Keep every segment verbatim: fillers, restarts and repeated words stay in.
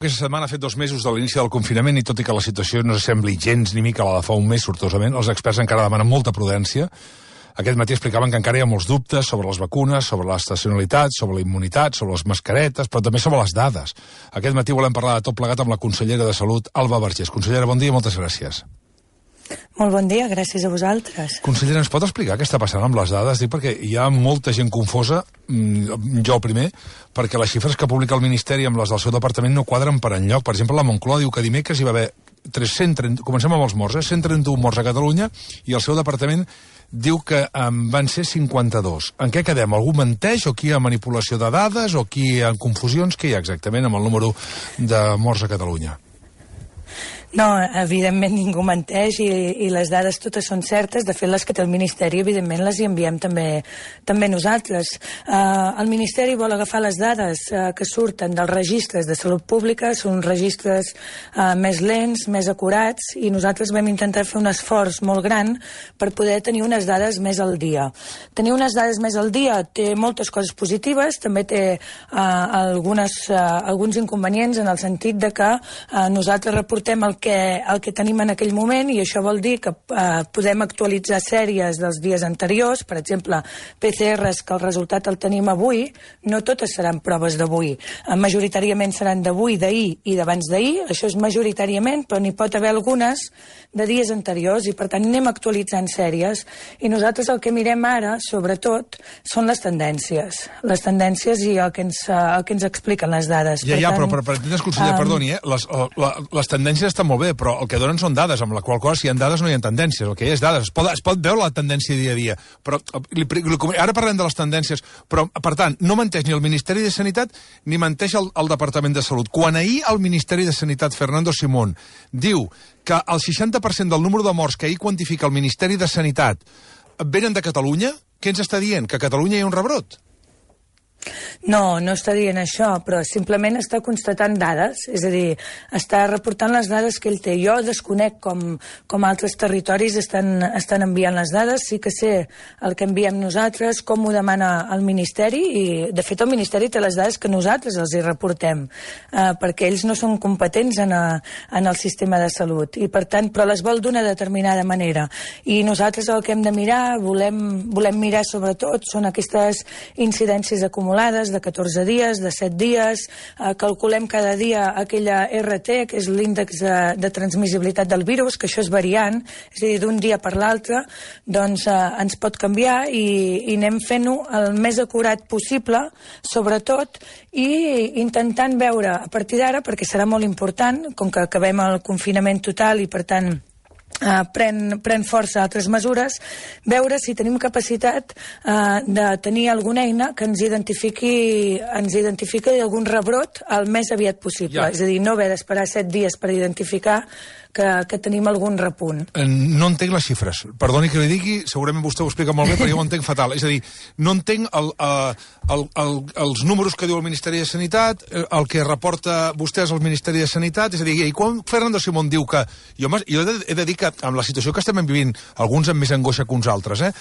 Aquesta setmana ha fet dos mesos de l'inici del confinament i tot i que la situació no sembli gens ni mica la de fa un mes, sortosament, els experts encara demanen molta prudència. Aquest matí explicaven que encara hi ha molts dubtes sobre les vacunes, sobre l'estacionalitat, sobre la immunitat, sobre les mascaretes, però també sobre les dades. Aquest matí volem parlar de tot plegat amb la consellera de Salut, Alba Vergés. Consellera, bon dia i moltes gràcies. Molt bon dia, gràcies a vosaltres. Consellera, ens pot explicar què està passant amb les dades? Dic perquè hi ha molta gent confosa, jo el primer, perquè les xifres que publica el Ministeri amb les del seu departament no quadren per enlloc. Per exemple, la Moncloa diu que dimecres hi va haver tres-cents trenta, comencem amb els morts, eh? cent trenta-un morts a Catalunya i el seu departament diu que en van ser cinquanta-dos. En què quedem? Algú menteix o aquí hi ha manipulació de dades o aquí hi ha confusions? Què hi ha exactament amb el número de morts a Catalunya? No, evidentment ningú menteix i, i les dades totes són certes. De fet, les que té el Ministeri, evidentment, les hi enviem també, també nosaltres. Uh, el Ministeri vol agafar les dades uh, que surten dels registres de salut pública, són registres uh, més lents, més acurats, i nosaltres vam intentar fer un esforç molt gran per poder tenir unes dades més al dia. Tenir unes dades més al dia té moltes coses positives, també té uh, algunes, uh, alguns inconvenients en el sentit de que uh, nosaltres reportem el que, el que tenim en aquell moment, i això vol dir que eh, podem actualitzar sèries dels dies anteriors, per exemple, P C Rs que el resultat el tenim avui, no totes seran proves d'avui. Eh, majoritàriament seran d'avui, d'ahir i d'abans d'ahir, això és majoritàriament, però n'hi pot haver algunes de dies anteriors, i per tant anem actualitzant sèries, i nosaltres el que mirem ara, sobretot, són les tendències. Les tendències i el que ens, el que ens expliquen les dades. Ja, per ja, tant, però per, per entendre's, conseller, um, perdoni, eh? les, la, les tendències estan molt bé, però el que donen són dades, amb la qual cosa si hi ha dades no hi ha tendències, el que hi ha és dades. Es pot, es pot veure la tendència dia a dia, però li, li, ara parlem de les tendències, però, per tant, no menteix ni el Ministeri de Sanitat ni menteix el, el Departament de Salut. Quan ahir el Ministeri de Sanitat, Fernando Simón, diu que el seixanta per cent del número de morts que ahir quantifica el Ministeri de Sanitat venen de Catalunya, què ens està dient? Que a Catalunya hi ha un rebrot? No, no està dient això, però simplement està constatant dades, és a dir, està reportant les dades que ell té. Jo desconec com, com altres territoris estan, estan enviant les dades, sí que sé el que enviem nosaltres, com ho demana el Ministeri, i de fet el Ministeri té les dades que nosaltres els hi reportem, eh, perquè ells no són competents en, a, en el sistema de salut, i per tant, però les vol d'una determinada manera. I nosaltres el que hem de mirar, volem, volem mirar sobretot, són aquestes incidències acumulades de catorze dies, de set dies, eh, calculem cada dia aquella R T, que és l'índex de, de transmissibilitat del virus, que això és variant, és a dir, d'un dia per l'altre, doncs eh, ens pot canviar, i, i anem fent-ho el més acurat possible, sobretot, i intentant veure a partir d'ara, perquè serà molt important, com que acabem el confinament total i per tant Uh, pren, pren força altres mesures, veure si tenim capacitat uh, de tenir alguna eina que ens identifiqui ens identifiqui algun rebrot el més aviat possible, ja. És a dir, no haver d'esperar set dies per identificar que, que tenim algun repunt. No entenc les xifres, perdoni que li digui, segurament vostè ho explica molt bé, però jo ho entenc fatal, és a dir, no entenc el, el, el, els números que diu el Ministeri de Sanitat, el que reporta vostès al Ministeri de Sanitat, és a dir, i quan Fernando Simón diu que, jo, jo he, de, he de dir que amb la situació que estem vivint, alguns amb més angoixa que uns altres, eh?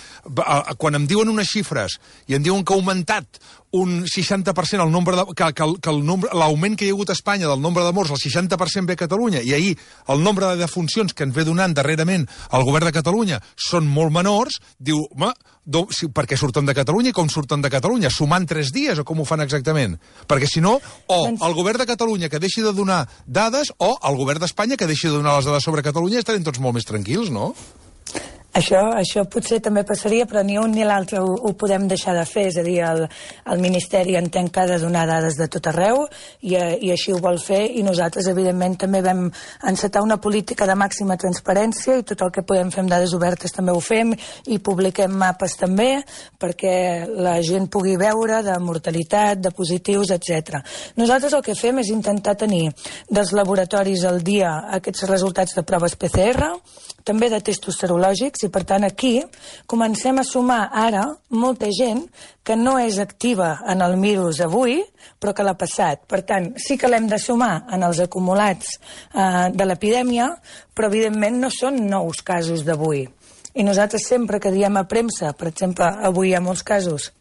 Quan em diuen unes xifres i em diuen que ha augmentat un seixanta per cent el nombre de, que, que, que el nombre, l'augment que hi ha hagut a Espanya del nombre de morts, el seixanta per cent ve a Catalunya, i ahir el nombre de defuncions que ens ve donant darrerament el govern de Catalunya són molt menors, diu, home, do, si, per què surten de Catalunya i com surten de Catalunya? Sumant tres dies o com ho fan exactament? Perquè si no, o el govern de Catalunya que deixi de donar dades, o el govern d'Espanya que deixi de donar les dades sobre Catalunya, estarem tots molt més tranquils, no? Això, això potser també passaria, però ni un ni l'altre ho, ho podem deixar de fer, és a dir, el, el Ministeri entén que ha de donar dades de tot arreu, i, i així ho vol fer, i nosaltres, evidentment, també vam encetar una política de màxima transparència, i tot el que podem fer amb dades obertes també ho fem, i publiquem mapes també, perquè la gent pugui veure de mortalitat, de positius, etcètera. Nosaltres el que fem és intentar tenir dels laboratoris al dia aquests resultats de proves P C R, també de testos serològics, i per tant aquí comencem a sumar ara molta gent que no és activa en el virus avui, però que l'ha passat. Per tant, sí que l'hem de sumar en els acumulats eh, de l'epidèmia, però evidentment no són nous casos d'avui. I nosaltres sempre que diem a premsa, per exemple, avui hi ha molts casos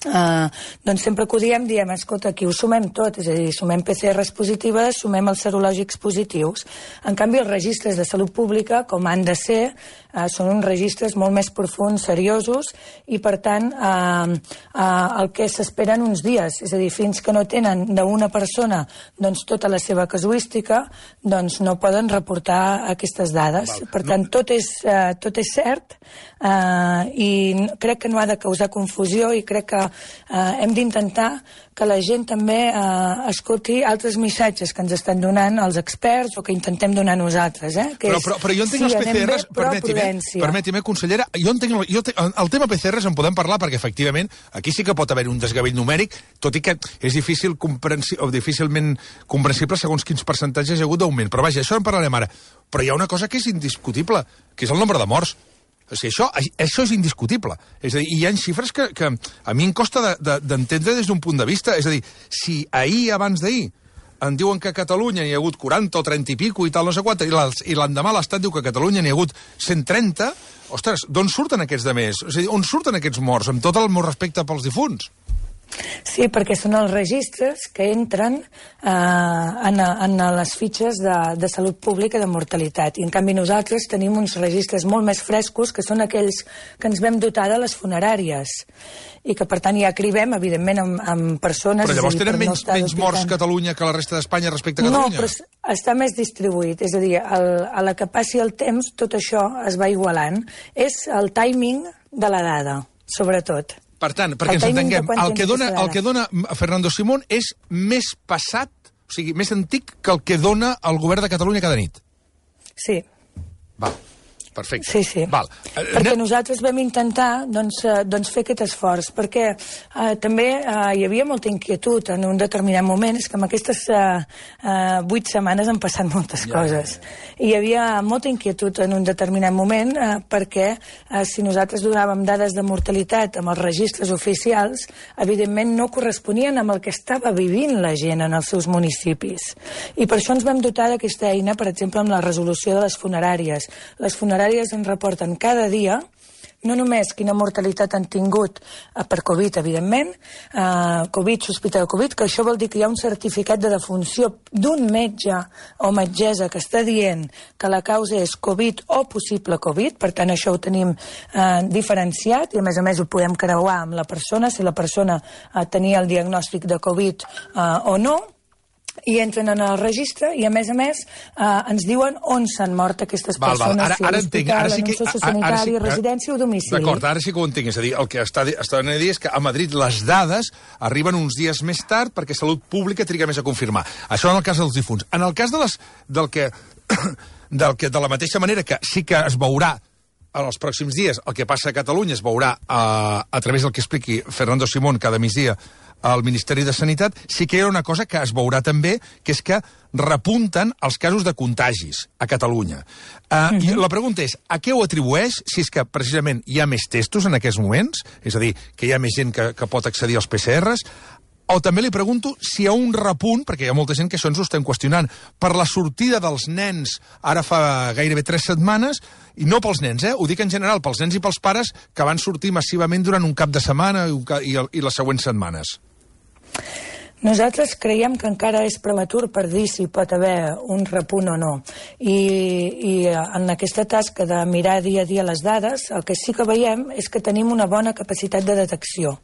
Uh, doncs sempre que ho diem, diem, escolta, aquí ho sumem tot, és a dir, sumem P C Rs positives, sumem els serològics positius. En canvi, els registres de salut pública, com han de ser, uh, són uns registres molt més profuns, seriosos, i per tant, uh, uh, el que s'esperen uns dies, és a dir, fins que no tenen d'una persona doncs, tota la seva casuística, doncs no poden reportar aquestes dades. Val. Per tant, no. tot, és, uh, tot és cert, uh, i crec que no ha de causar confusió, i crec que Uh, hem d'intentar que la gent també uh, escolti altres missatges que ens estan donant els experts o que intentem donar nosaltres. Eh? Que però, però, però jo entenc sí, els P C Rs, permeti'm, permeti'm, consellera, jo entenc, jo te, el tema P C Rs en podem parlar perquè efectivament aquí sí que pot haver un desgavell numèric, tot i que és difícil comprensi, o difícilment comprensible segons quins percentatges hi ha hagut d'augment. Però vaja, això en parlarem ara. Però hi ha una cosa que és indiscutible, que és el nombre de morts. O sigui, això, això és indiscutible. És a dir, hi ha xifres que, que a mi em costa d'entendre de, de, des d'un punt de vista. És a dir, si ahir, abans d'ahir, en diuen que a Catalunya n'hi ha hagut quaranta o trenta i pico i tal, no sé quant, i l'endemà l'Estat diu que a Catalunya n'hi ha hagut cent trenta, ostres, d'on surten aquests de més? És a dir, on surten aquests morts? Amb tot el meu respecte pels difunts. Sí, perquè són els registres que entren eh, en, en les fitxes de, de salut pública de mortalitat. I en canvi nosaltres tenim uns registres molt més frescos, que són aquells que ens vam dotar de les funeràries. I que, per tant, ja cribem, evidentment, amb, amb persones... Però llavors dir, tenen per menys, no menys morts Catalunya que la resta d'Espanya respecte a Catalunya? No, però està més distribuït. És a dir, el, a la que passi el temps, tot això es va igualant. És el timing de la dada, sobretot. Per tant, perquè ens entenguem, el que, dona, el que dona Fernando Simón és més passat, o sigui, més antic que el que dona el govern de Catalunya cada nit. Sí. Val. Perfecte. Sí, sí. Val. Perquè nosaltres vam intentar doncs, eh, doncs fer aquest esforç, perquè eh, també eh, hi havia molta inquietud en un determinat moment, és que en aquestes eh, eh, vuit setmanes han passat moltes ja, coses. Ja, ja. I hi havia molta inquietud en un determinat moment eh, perquè eh, si nosaltres donàvem dades de mortalitat amb els registres oficials, evidentment no corresponien amb el que estava vivint la gent en els seus municipis. I per això ens vam dotar d'aquesta eina, per exemple, amb la resolució de les funeràries. Les funeràries ens reporten cada dia no només quina mortalitat han tingut eh, per Covid, evidentment, eh, Covid, sospita de Covid, que això vol dir que hi ha un certificat de defunció d'un metge o metgessa que està dient que la causa és Covid o possible Covid, per tant això ho tenim eh, diferenciat i a més a més ho podem creuar amb la persona, si la persona eh, tenia el diagnòstic de Covid eh, o no, i entren en el registre i, a més a més, eh, ens diuen on s'han mort aquestes val, persones, val. Ara, si ara a l'hospital, en un sociosanitari, sí, residència o domicili. D'acord, ara sí que ho entenc. És a dir, el que està, està a dir és que a Madrid les dades arriben uns dies més tard perquè Salut Pública triga més a confirmar. Això en el cas dels difunts. En el cas de les, del que, del que, de la mateixa manera que sí que es veurà en els pròxims dies el que passa a Catalunya, es veurà a, a través del que expliqui Fernando Simón cada migdia al Ministeri de Sanitat, sí que hi ha una cosa que es veurà també, que és que repunten els casos de contagis a Catalunya. Uh, uh-huh. I la pregunta és, a què ho atribueix, si és que precisament hi ha més testos en aquests moments, és a dir, que hi ha més gent que, que pot accedir als P C Rs, o també li pregunto si hi ha un repunt, perquè hi ha molta gent que això ens ho estem qüestionant, per la sortida dels nens ara fa gairebé tres setmanes, i no pels nens, eh? Ho dic en general, pels nens i pels pares que van sortir massivament durant un cap de setmana i, i, i les següents setmanes. Nosaltres creiem que encara és prematur per dir si pot haver un repunt o no. I, i en aquesta tasca de mirar dia a dia les dades, el que sí que veiem és que tenim una bona capacitat de detecció.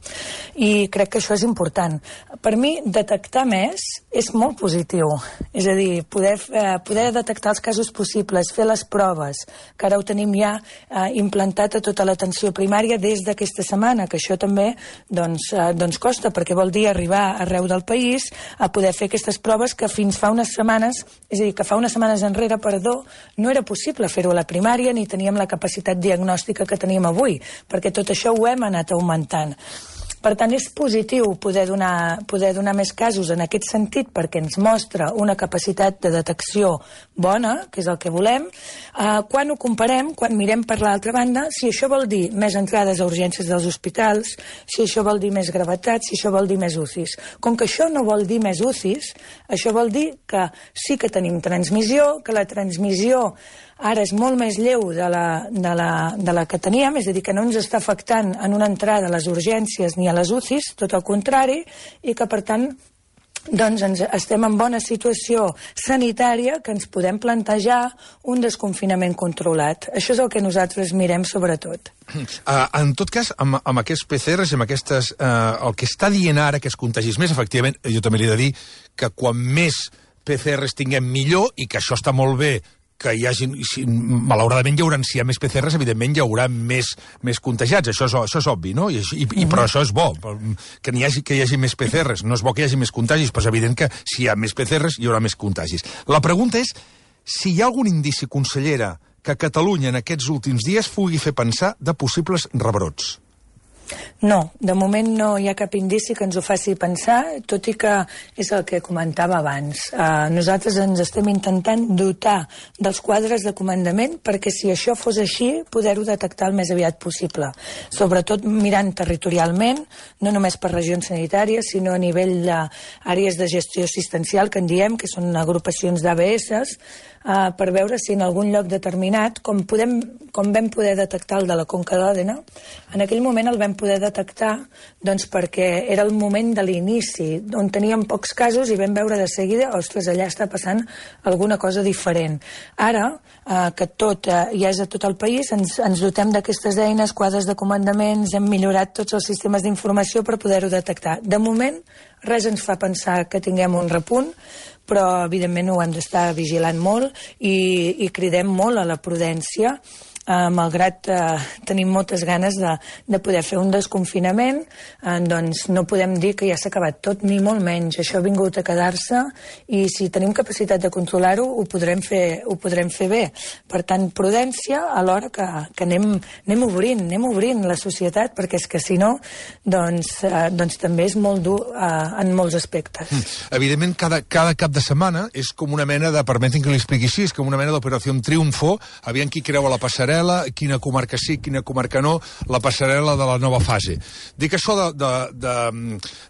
I crec que això és important. Per mi, detectar més és molt positiu. És a dir, poder, eh, poder detectar els casos possibles, fer les proves, que ara ho tenim ja eh, implantat a tota l'atenció primària des d'aquesta setmana, que això també doncs, eh, doncs costa, perquè vol dir arribar arreu del país a poder fer aquestes proves que fins fa unes setmanes, és a dir, que fa unes setmanes enrere, perdó, no era possible fer-ho a la primària ni teníem la capacitat diagnòstica que tenim avui, perquè tot això ho hem anat augmentant. Per tant, és positiu poder donar, poder donar més casos en aquest sentit perquè ens mostra una capacitat de detecció bona, que és el que volem. Uh, quan ho comparem, quan mirem per l'altra banda, si això vol dir més entrades a urgències dels hospitals, si això vol dir més gravetat, si això vol dir més U C Is. Com que això no vol dir més U C Is, això vol dir que sí que tenim transmissió, que la transmissió ara és molt més lleu de la, de, la, de la que teníem, és a dir, que no ens està afectant en una entrada a les urgències ni ni a les U C Is, tot el contrari, i que, per tant, doncs ens estem en bona situació sanitària que ens podem plantejar un desconfinament controlat. Això és el que nosaltres mirem sobretot. Uh, en tot cas, amb, amb aquests P C Rs, amb aquestes, uh, el que està dient ara que es contagis més, efectivament, jo també li he de dir que quan més P C Rs tinguem millor, i que això està molt bé, que hi hagi, si, malauradament hi haurà, si hi ha més P C Rs, evidentment hi haurà més, més contagiats, això és, això és obvi, no? I, i, i, però això és bo, que hi, hagi, que hi hagi més P C Rs, no és bo que hi hagi més contagis, però és evident que si hi ha més P C Rs hi haurà més contagis. La pregunta és si hi ha algun indici, consellera, que Catalunya en aquests últims dies pugui fer pensar de possibles rebrots. No, de moment no hi ha cap indici que ens ho faci pensar, tot i que és el que comentava abans. Uh, nosaltres ens estem intentant dotar dels quadres de comandament perquè si això fos així, poder-ho detectar el més aviat possible. Sobretot mirant territorialment, no només per regions sanitàries, sinó a nivell d'àrees de gestió assistencial, que en diem, que són agrupacions d'A B S, Uh, per veure si en algun lloc determinat, com, podem, com vam poder detectar el de la Conca d'Òdena, en aquell moment el vam poder detectar doncs, perquè era el moment de l'inici, on teníem pocs casos i vam veure de seguida, ostres, allà està passant alguna cosa diferent. Ara, uh, que tot uh, ja és a tot el país, ens, ens dotem d'aquestes eines, quadres de comandaments, hem millorat tots els sistemes d'informació per poder-ho detectar. De moment, res ens fa pensar que tinguem un repunt, però evidentment ho hem d'estar vigilant molt i, i cridem molt a la prudència, eh, malgrat eh, tenim moltes ganes de, de poder fer un desconfinament, eh, doncs no podem dir que ja s'ha acabat tot, ni molt menys. Això ha vingut a quedar-se i si tenim capacitat de controlar-ho, ho podrem fer, ho podrem fer bé. Per tant, prudència alhora que, que anem, anem obrint, anem obrint la societat, perquè és que si no, doncs, eh, doncs també és molt dur eh, en molts aspectes. Mm. Evidentment, cada, cada cap de setmana és com una mena de, permetin que li expliqui així, és com una mena d'operació triomfo, aviam qui creua la passarel·la, quina comarca sí, quina comarca no, la passarel·la de la nova fase. Dic això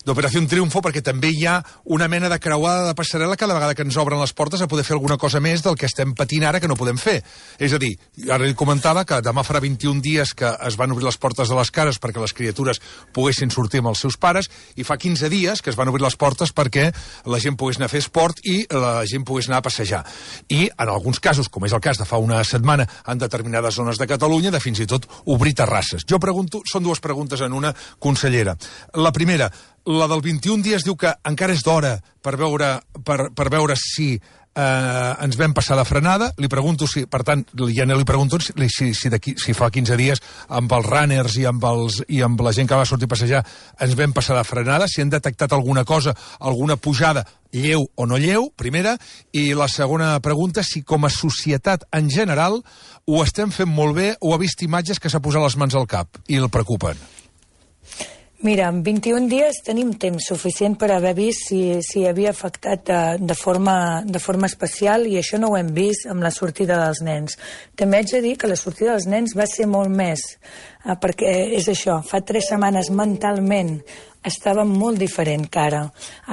d'operació triomfo perquè també hi ha una mena de creuada de passarel·la cada vegada que ens obren les portes a poder fer alguna cosa més del que estem patint ara que no podem fer. És a dir, ara li comentava que demà farà vint-i-un dies que es van obrir les portes de les cases perquè les criatures poguessin sortir amb els seus pares i fa quinze dies que es van obrir les portes perquè la gent pogués anar a fer esport i la gent pogués anar a passejar. I en alguns casos, com és el cas de fa una setmana, en determinades zones de Catalunya, de fins i tot obrir terrasses. Jo pregunto, són dues preguntes en una, consellera. La primera, la del vint-i-un dies diu que encara és d'hora per veure, per, per veure si eh, ens vam passar de frenada. Li pregunto si, per tant, ja no li pregunto si, si, si, si fa quinze dies amb els runners i amb, els, i amb la gent que va sortir a passejar ens vam passar de frenada, si han detectat alguna cosa, alguna pujada, lleu o no lleu, primera, i la segona pregunta, si com a societat en general ho estem fent molt bé o ha vist imatges que s'ha posat les mans al cap i el preocupen. Mira, en vint-i-un dies tenim temps suficient per haver vist si, si havia afectat de, de, forma, de forma especial i això no ho hem vist amb la sortida dels nens. També haig de dir que la sortida dels nens va ser molt més, eh, perquè és això, fa tres setmanes mentalment estava molt diferent que ara.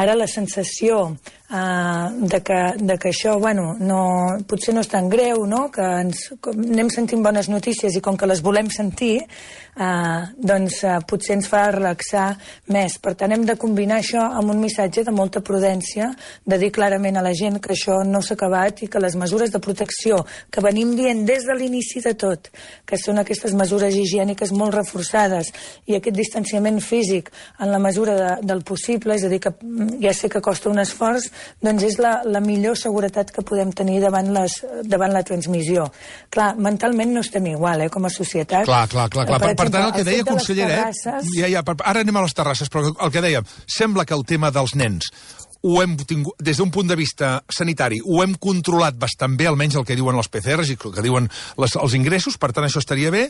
Ara la sensació uh, de, que, de que això, bueno, no, potser no és tan greu, no? Que ens, anem sentint bones notícies i com que les volem sentir, uh, doncs uh, potser ens fa relaxar més. Per tant, hem de combinar això amb un missatge de molta prudència, de dir clarament a la gent que això no s'ha acabat i que les mesures de protecció que venim dient des de l'inici de tot, que són aquestes mesures higièniques molt reforçades i aquest distanciament físic en la mesura de, del possible, és a dir, que ja sé que costa un esforç, doncs és la, la millor seguretat que podem tenir davant, les, davant la transmissió. Clar, mentalment no estem igual, eh, com a societat. Clar, clar, clar. clar. Per, per, per tant, el que deia, consellera, terrasses... eh? Ja, ja, per, ara anem a les terrasses, però el que dèiem, sembla que el tema dels nens ho hem tingut, des d'un punt de vista sanitari, ho hem controlat bastant bé, almenys el que diuen els P C Rs i el que diuen les, els ingressos, per tant això estaria bé,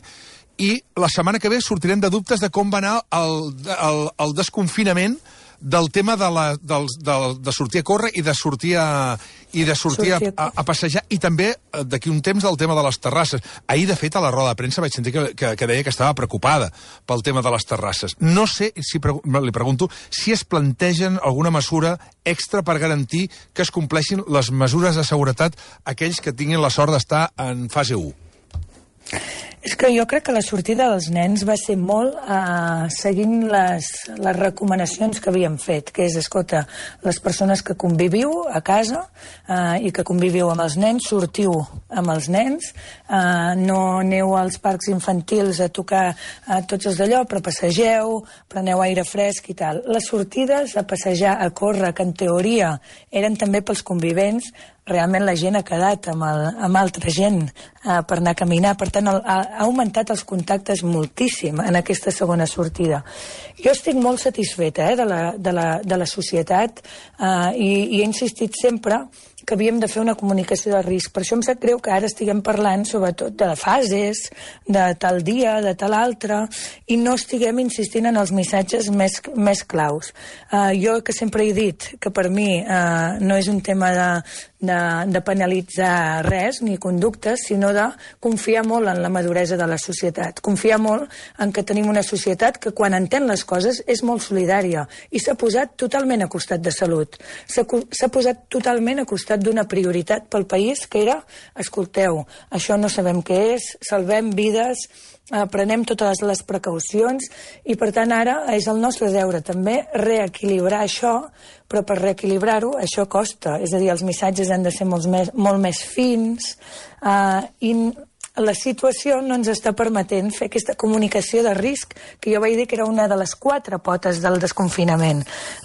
i la setmana que ve sortirem de dubtes de com va anar el, el, el desconfinament del tema de, la, del, del, de sortir a córrer i de sortir a, i de sortir a, a, a passejar, i també d'aquí un temps del tema de les terrasses. Ahir, de fet, a la roda de premsa vaig sentir que, que, que deia que estava preocupada pel tema de les terrasses. No sé, si li pregunto, si es plantegen alguna mesura extra per garantir que es compleixin les mesures de seguretat aquells que tinguin la sort d'estar en fase u. És que jo crec que la sortida dels nens va ser molt eh, seguint les, les recomanacions que havíem fet, que és, escolta, les persones que conviviu a casa eh, i que conviviu amb els nens, sortiu amb els nens, eh, no aneu als parcs infantils a tocar eh, tots els d'allò, però passegeu, preneu aire fresc i tal. Les sortides a passejar, a córrer, que en teoria eren també pels convivents, realment la gent ha quedat amb, el, amb altra gent eh, per anar a caminar. Per tant, el, ha, ha augmentat els contactes moltíssim en aquesta segona sortida. Jo estic molt satisfeta eh, de, la, de, la, de la societat eh, i, i he insistit sempre que havíem de fer una comunicació de risc. Per això em sap greu que ara estiguem parlant sobretot de fases, de tal dia, de tal altre, i no estiguem insistint en els missatges més, més claus. Uh, jo que sempre he dit que per mi uh, no és un tema de, de, de penalitzar res, ni conductes, sinó de confiar molt en la maduresa de la societat. Confiar molt en que tenim una societat que quan entén les coses és molt solidària i s'ha posat totalment a costat de salut. S'ha posat totalment a costat d'una prioritat pel país que era, escolteu, això no sabem què és, salvem vides, eh, prenem totes les precaucions i per tant ara és el nostre deure també reequilibrar això, però per reequilibrar-ho això costa, és a dir, els missatges han de ser molt més, molt més fins eh, i la situació no ens està permetent fer aquesta comunicació de risc que jo vaig dir que era una de les quatre potes del desconfinament.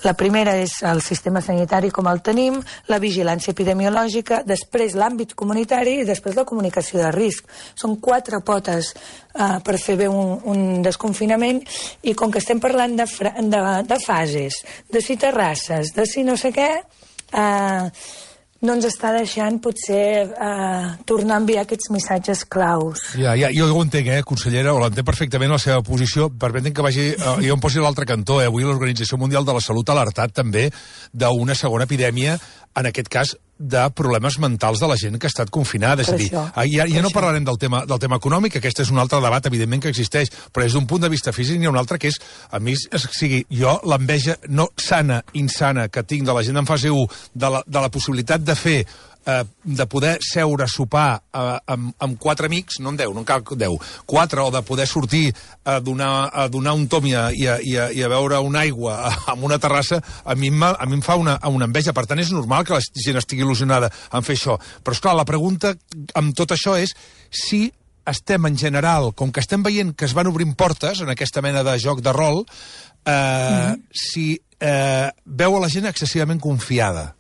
La primera és el sistema sanitari com el tenim, la vigilància epidemiològica, després l'àmbit comunitari i després la comunicació de risc. Són quatre potes uh, per fer bé un, un desconfinament i com que estem parlant de, de, de fases, de si terrasses, de si no sé què... Uh, no ens està deixant, potser, eh, tornar a enviar aquests missatges claus. Ja, ja, jo ho entenc, eh, consellera, o l'entenc perfectament la seva posició. Permetin que vagi, eh, jo em posi a l'altre cantó, eh, avui l'Organització Mundial de la Salut ha alertat també d'una segona epidèmia, en aquest cas, de problemes mentals de la gent que ha estat confinada. És a dir, ja, ja no parlarem del tema, del tema econòmic, que aquest és un altre debat, evidentment, que existeix, però des d'un punt de vista físic n'hi ha un altre que és, a mi, és, sigui, jo l'enveja no sana, insana, que tinc de la gent en fase u, de la, de la possibilitat de fer Eh, de poder seure a sopar eh, amb, amb quatre amics, no en deu, no en cal deu, quatre, o de poder sortir a donar, a donar un tom i a, i, a, i, a, i a beure una aigua amb una terrassa, a mi, a mi em fa una, una enveja. Per tant, és normal que la gent estigui il·lusionada en fer això. Però, esclar, la pregunta amb tot això és si estem, en general, com que estem veient que es van obrint portes en aquesta mena de joc de rol, eh, mm-hmm. si eh, veu a la gent excessivament confiada.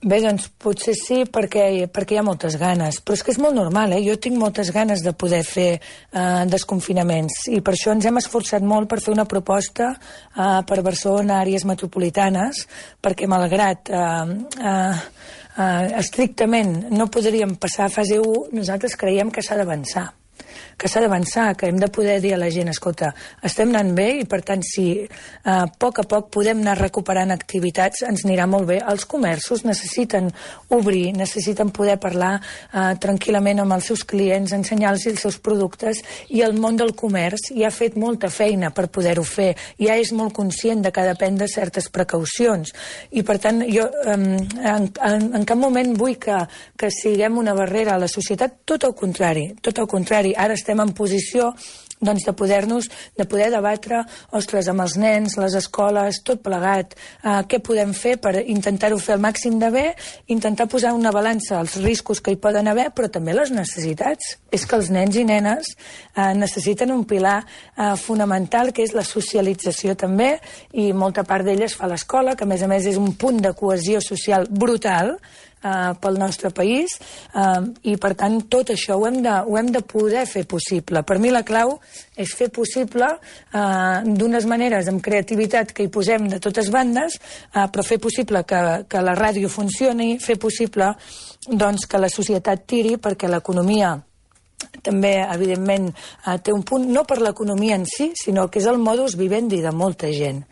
Bé, doncs potser sí, perquè, perquè hi ha moltes ganes. Però és que és molt normal, eh? Jo tinc moltes ganes de poder fer eh, desconfinaments i per això ens hem esforçat molt per fer una proposta eh, per Barcelona, àrees metropolitanes, perquè malgrat eh, eh, eh, estrictament no podríem passar a fase u, nosaltres creiem que s'ha d'avançar. que s'ha d'avançar, que hem de poder dir a la gent, escolta, estem anant bé i per tant si eh, a poc a poc podem anar recuperant activitats ens anirà molt bé. Els comerços necessiten obrir, necessiten poder parlar eh, tranquil·lament amb els seus clients, ensenyar-los els seus productes i el món del comerç ja ha fet molta feina per poder-ho fer, ja és molt conscient de que ha de prendre certes precaucions i per tant jo eh, en, en, en cap moment vull que, que siguem una barrera a la societat, tot el contrari, tot el contrari. Ara estem en posició doncs, de poder-nos, de poder debatre, ostres, amb els nens, les escoles, tot plegat, eh, què podem fer per intentar-ho fer al màxim de bé, intentar posar una balança als riscos que hi poden haver, però també les necessitats. És que els nens i nenes eh, necessiten un pilar eh, fonamental, que és la socialització també, i molta part d'ella es fa a l'escola, que a més a més és un punt de cohesió social brutal, Uh, pel nostre país uh, i per tant tot això ho hem, de, ho hem de poder fer possible. Per mi la clau és fer possible uh, d'unes maneres amb creativitat que hi posem de totes bandes, uh, però fer possible que, que la ràdio funcioni, fer possible doncs, que la societat tiri perquè l'economia també, evidentment, eh, té un punt, no per l'economia en si, sinó que és el modus vivendi de molta gent.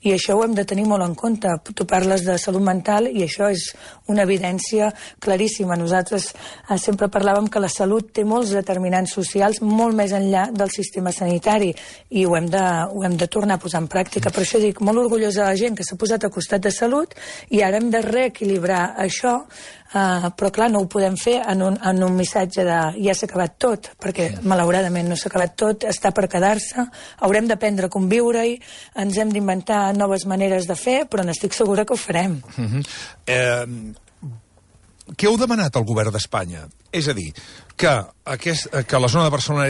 i això ho hem de tenir molt en compte. Tu parles de salut mental i això és una evidència claríssima. Nosaltres eh, sempre parlàvem que la salut té molts determinants socials molt més enllà del sistema sanitari i ho hem de, ho hem de tornar a posar en pràctica. Per això dic, molt orgullosa de la gent que s'ha posat a costat de salut i ara hem de reequilibrar això, uh, però clar, no ho podem fer en un, en un missatge de ja s'ha acabat tot, perquè malauradament no s'ha acabat tot, està per quedar-se, haurem d'aprendre a conviure-hi, ens hem d'inventar noves maneres de fer, però n'estic segura que ho farem. Uh-huh. eh, què heu demanat al govern d'Espanya? És a dir, que, aquest, que la zona de Barcelona,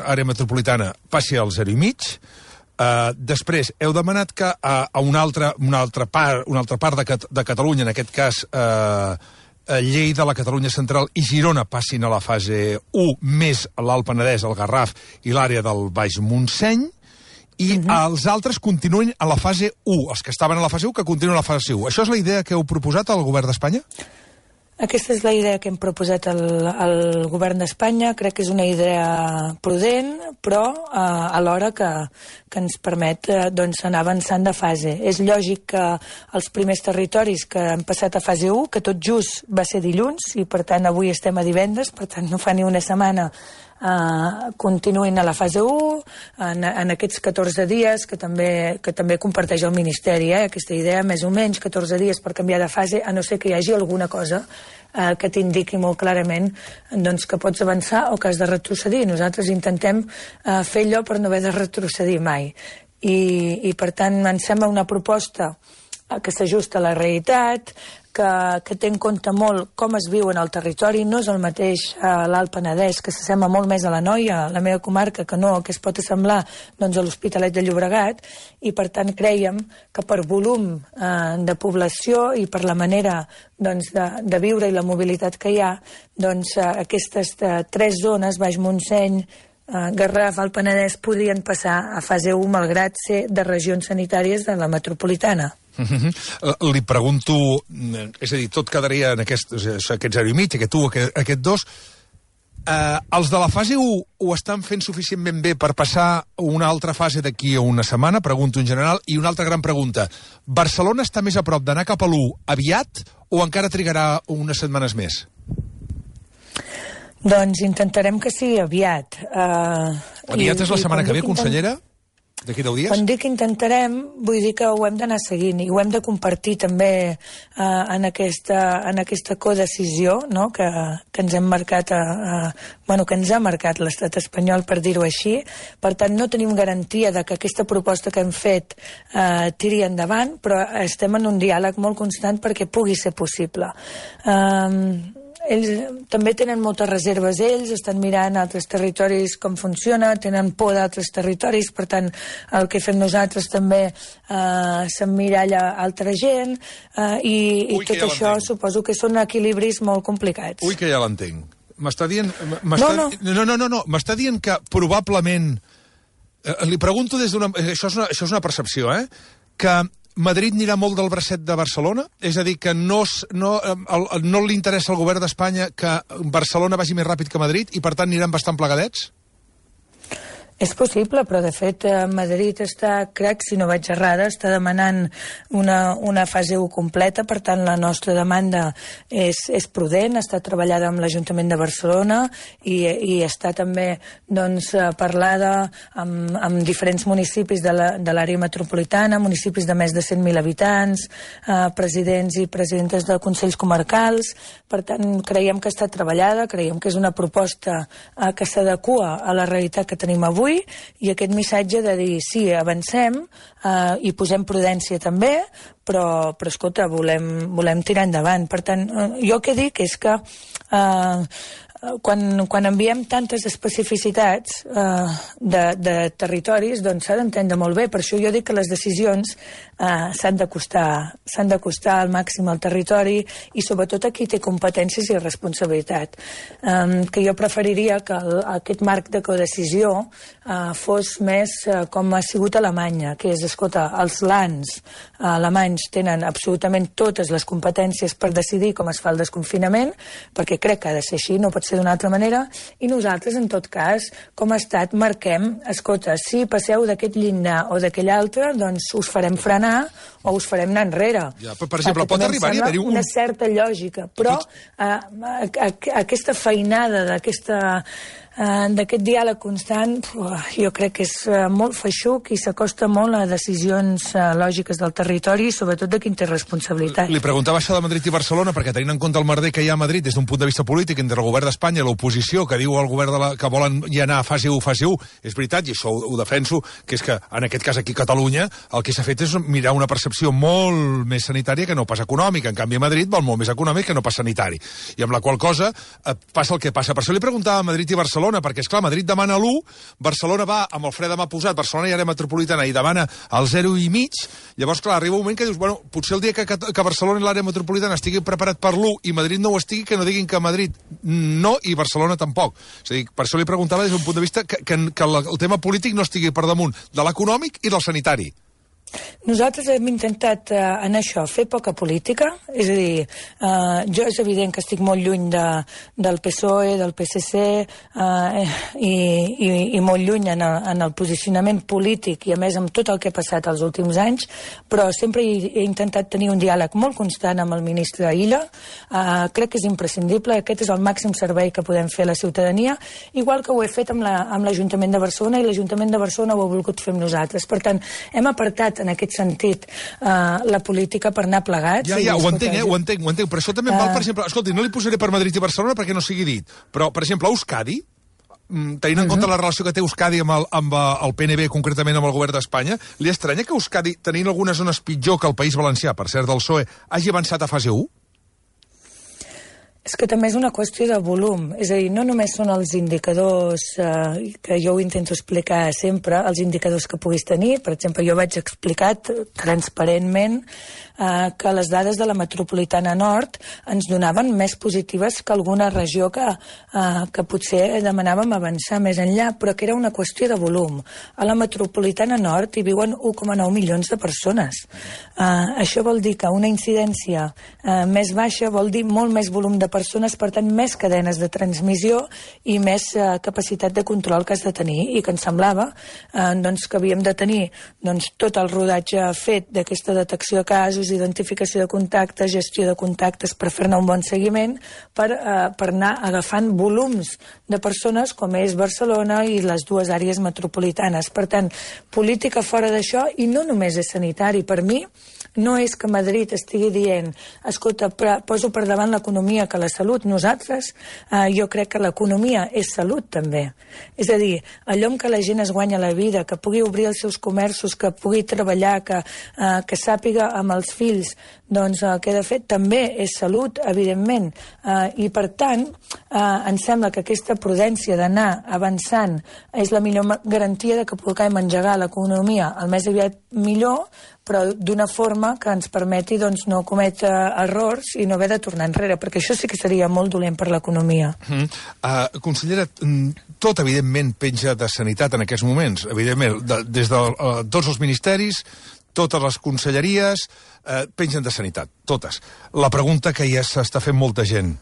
àrea metropolitana, passi al zero i mig. Uh, després, heu demanat que a, a una, altra, una, altra part, una altra part de, Cat de Catalunya, en aquest cas uh, Lleida, la Catalunya Central i Girona, passin a la fase u, més l'Alt Penedès, el Garraf i l'àrea del Baix Montseny, i uh-huh. els altres continuen a la fase u, els que estaven a la fase u, que continuen a la fase u. Això és la idea que heu proposat al govern d'Espanya? Aquesta és la idea que hem proposat al, al govern d'Espanya. Crec que és una idea prudent, però eh, alhora que, que ens permet eh, doncs, anar avançant de fase. És lògic que els primers territoris que han passat a fase u, que tot just va ser dilluns, i per tant avui estem a divendres, per tant no fa ni una setmana, Uh, continuïn a la fase u en, en aquests catorze dies que també, que també comparteix el Ministeri, eh? Aquesta idea, més o menys catorze dies per canviar de fase, a no ser que hi hagi alguna cosa uh, que t'indiqui molt clarament doncs, que pots avançar o que has de retrocedir. Nosaltres intentem uh, fer allò per no haver de retrocedir mai i, i per tant em sembla una proposta que s'ajusta a la realitat, que, que té en compte molt com es viu en el territori. No és el mateix a l'Alt Penedès, que s'assembla molt més a la Noia, a la meva comarca, que no, que es pot assemblar doncs, a l'Hospitalet de Llobregat, i per tant creiem que per volum eh, de població i per la manera doncs, de, de viure i la mobilitat que hi ha, doncs, eh, aquestes eh, tres zones, Baix Montseny, eh, Garraf, Alt Penedès, podrien passar a fase u, malgrat ser de regions sanitàries de la metropolitana. Uh-huh. Li pregunto, és a dir, tot quedaria en aquest, aquest zero i mig, aquest u, aquest, aquest dos. Uh, els de la fase u ho estan fent suficientment bé per passar una altra fase d'aquí a una setmana? Pregunto en general. I una altra gran pregunta. Barcelona està més a prop d'anar cap a l'u aviat o encara trigarà unes setmanes més? Doncs intentarem que sigui aviat. Uh, aviat i, és la setmana que ve, intent... consellera? D'aquí deu dies? Quan dic intentarem, vull dir que ho hem d'anar seguint i ho hem de compartir també eh, en, aquesta, en aquesta codecisió, no? que, que ens hem marcat, a, a, bueno, que ens ha marcat l'estat espanyol, per dir-ho així. Per tant, no tenim garantia de que aquesta proposta que hem fet eh, tiri endavant, però estem en un diàleg molt constant perquè pugui ser possible. Eh, Ells també tenen moltes reserves, ells estan mirant altres territoris com funciona, tenen por d'altres territoris, per tant el que fem nosaltres també eh, s'emmiralla altra gent eh, i, Ui, i tot ja això suposo que són equilibris molt complicats. Ui, que ja l'entenc. M'està dient... No, no. No, no, no, no. M'està dient que probablement... Eh, li pregunto des d'una... Això és una, això és una percepció, eh? Que Madrid anirà molt del bracet de Barcelona? És a dir, que no, no, el, no li interessa al govern d'Espanya que Barcelona vagi més ràpid que Madrid i, per tant, aniran bastant plegadets? És possible, però de fet Madrid està, crec, si no vaig errada, està demanant una, una fase u completa, per tant la nostra demanda és, és prudent, està treballada amb l'Ajuntament de Barcelona i, i està també doncs, parlada amb, amb diferents municipis de l'àrea la, metropolitana, municipis de més de cent mil habitants, eh, presidents i presidentes de consells comarcals. Per tant, creiem que està treballada, creiem que és una proposta eh, que s'adequa a la realitat que tenim avui, i aquest missatge de dir, sí, avancem eh, i posem prudència també, però, però escolta, volem, volem tirar endavant. Per tant, eh, jo el que dic és que eh, quan, quan enviem tantes especificitats eh, de, de territoris, doncs s'ha d'entendre molt bé. Per això jo dic que les decisions eh, s'han d'acostar s'han d'acostar al màxim al territori i sobretot a qui té competències i responsabilitat. Eh, que jo preferiria que el, aquest marc de codecisió eh, fos més eh, com ha sigut a Alemanya, que és, escolta, els lands eh, alemanys tenen absolutament totes les competències per decidir com es fa el desconfinament, perquè crec que ha de ser així, no pot ser d'una altra manera, i nosaltres, en tot cas, com a estat, marquem, escolta, si passeu d'aquest llindar o d'aquell altre, doncs us farem frenar anar o us farem anar enrere. Ja, per exemple, pot arribar-hi a haver-hi un... una certa lògica, però eh, a, a, aquesta feinada d'aquesta eh, d'aquest diàleg constant, jo crec que és eh, molt feixuc i s'acosta molt a decisions eh, lògiques del territori i sobretot de qui en té responsabilitat. Li preguntava això de Madrid i Barcelona perquè tenint en compte el merder que hi ha a Madrid des d'un punt de vista polític entre el govern d'Espanya i l'oposició que diu al govern de la, que volen ja anar a fase u, fase u, és veritat, i això ho, ho defenso, que és que en aquest cas aquí a Catalunya el que s'ha fet és mirar una percepció molt més sanitària que no pas econòmica. En canvi a Madrid vol molt més econòmic que no pas sanitari. I amb la qual cosa eh, passa el que passa. Per això li preguntava a Madrid i Barcelona, perquè és clar, Madrid demana l'u, Barcelona va amb el fre de mà posat, Barcelona i àrea metropolitana i demana el zero i mig, llavors clar, arriba un moment que dius, bueno, potser el dia que, que Barcelona i l'àrea metropolitana estigui preparat per l'u i Madrid no ho estigui, que no diguin que Madrid no i Barcelona tampoc. És a dir, per això li preguntava des d'un punt de vista que, que, que el tema polític no estigui per damunt de l'econòmic i del sanitari. Nosaltres hem intentat eh, en això fer poca política, és a dir, eh, jo és evident que estic molt lluny de, del P S O E, del P S C eh, i, i, i molt lluny en el, en el posicionament polític i a més amb tot el que ha passat els últims anys, però sempre he, he intentat tenir un diàleg molt constant amb el ministre Illa, eh, crec que és imprescindible, aquest és el màxim servei que podem fer a la ciutadania, igual que ho he fet amb l'Ajuntament la, de Barcelona i l'Ajuntament de Barcelona ho ha volgut fer amb nosaltres. Per tant, hem apartat en aquest sentit eh, la política per anar plegats. Ja, ja, ho entenc, eh, ho entenc, ho entenc, però això també em val, per exemple, escolti, no li posaré per Madrid i Barcelona perquè no sigui dit, però, per exemple, a Euskadi, tenint en compte la relació que té Euskadi amb el, amb el P N B, concretament amb el govern d'Espanya, li estranya que Euskadi, tenint algunes zones pitjor que el País Valencià, per cert, del P S O E, hagi avançat a fase u? És que també és una qüestió de volum, és a dir, no només són els indicadors eh, que jo ho intento explicar sempre, els indicadors que puguis tenir, per exemple, jo vaig explicar transparentment eh, que les dades de la metropolitana nord ens donaven més positives que alguna regió que, eh, que potser demanàvem avançar més enllà, però que era una qüestió de volum. A la metropolitana nord hi viuen u coma nou milions de persones. Eh, això vol dir que una incidència eh, més baixa vol dir molt més volum de persones, per tant, més cadenes de transmissió i més eh, capacitat de control que has de tenir i que ens semblava eh, doncs, que havíem de tenir doncs, tot el rodatge fet d'aquesta detecció de casos, identificació de contactes, gestió de contactes per fer-ne un bon seguiment, per, eh, per anar agafant volums de persones com és Barcelona i les dues àrees metropolitanes. Per tant, política fora d'això i no només és sanitari. Per mi, no és que Madrid estigui dient escolta, poso per davant l'economia que la salut. Nosaltres, eh, jo crec que l'economia és salut també. És a dir, allò en què la gent es guanya la vida, que pugui obrir els seus comerços, que pugui treballar, que, eh, que sàpiga amb els fills doncs el que he de fer, també és salut, evidentment. Eh, I per tant, eh, em sembla que aquesta prudència d'anar avançant és la millor garantia de que puguem engegar l'economia el més aviat millor, però d'una forma que ens permeti doncs, no cometre errors i no haver de tornar enrere, perquè això sí que seria molt dolent per l'economia. Mm. Uh, consellera, tot evidentment penja de sanitat en aquests moments, evidentment, de, des de uh, tots els ministeris, totes les conselleries, uh, pengen de sanitat, totes. La pregunta que ja s'està fent molta gent,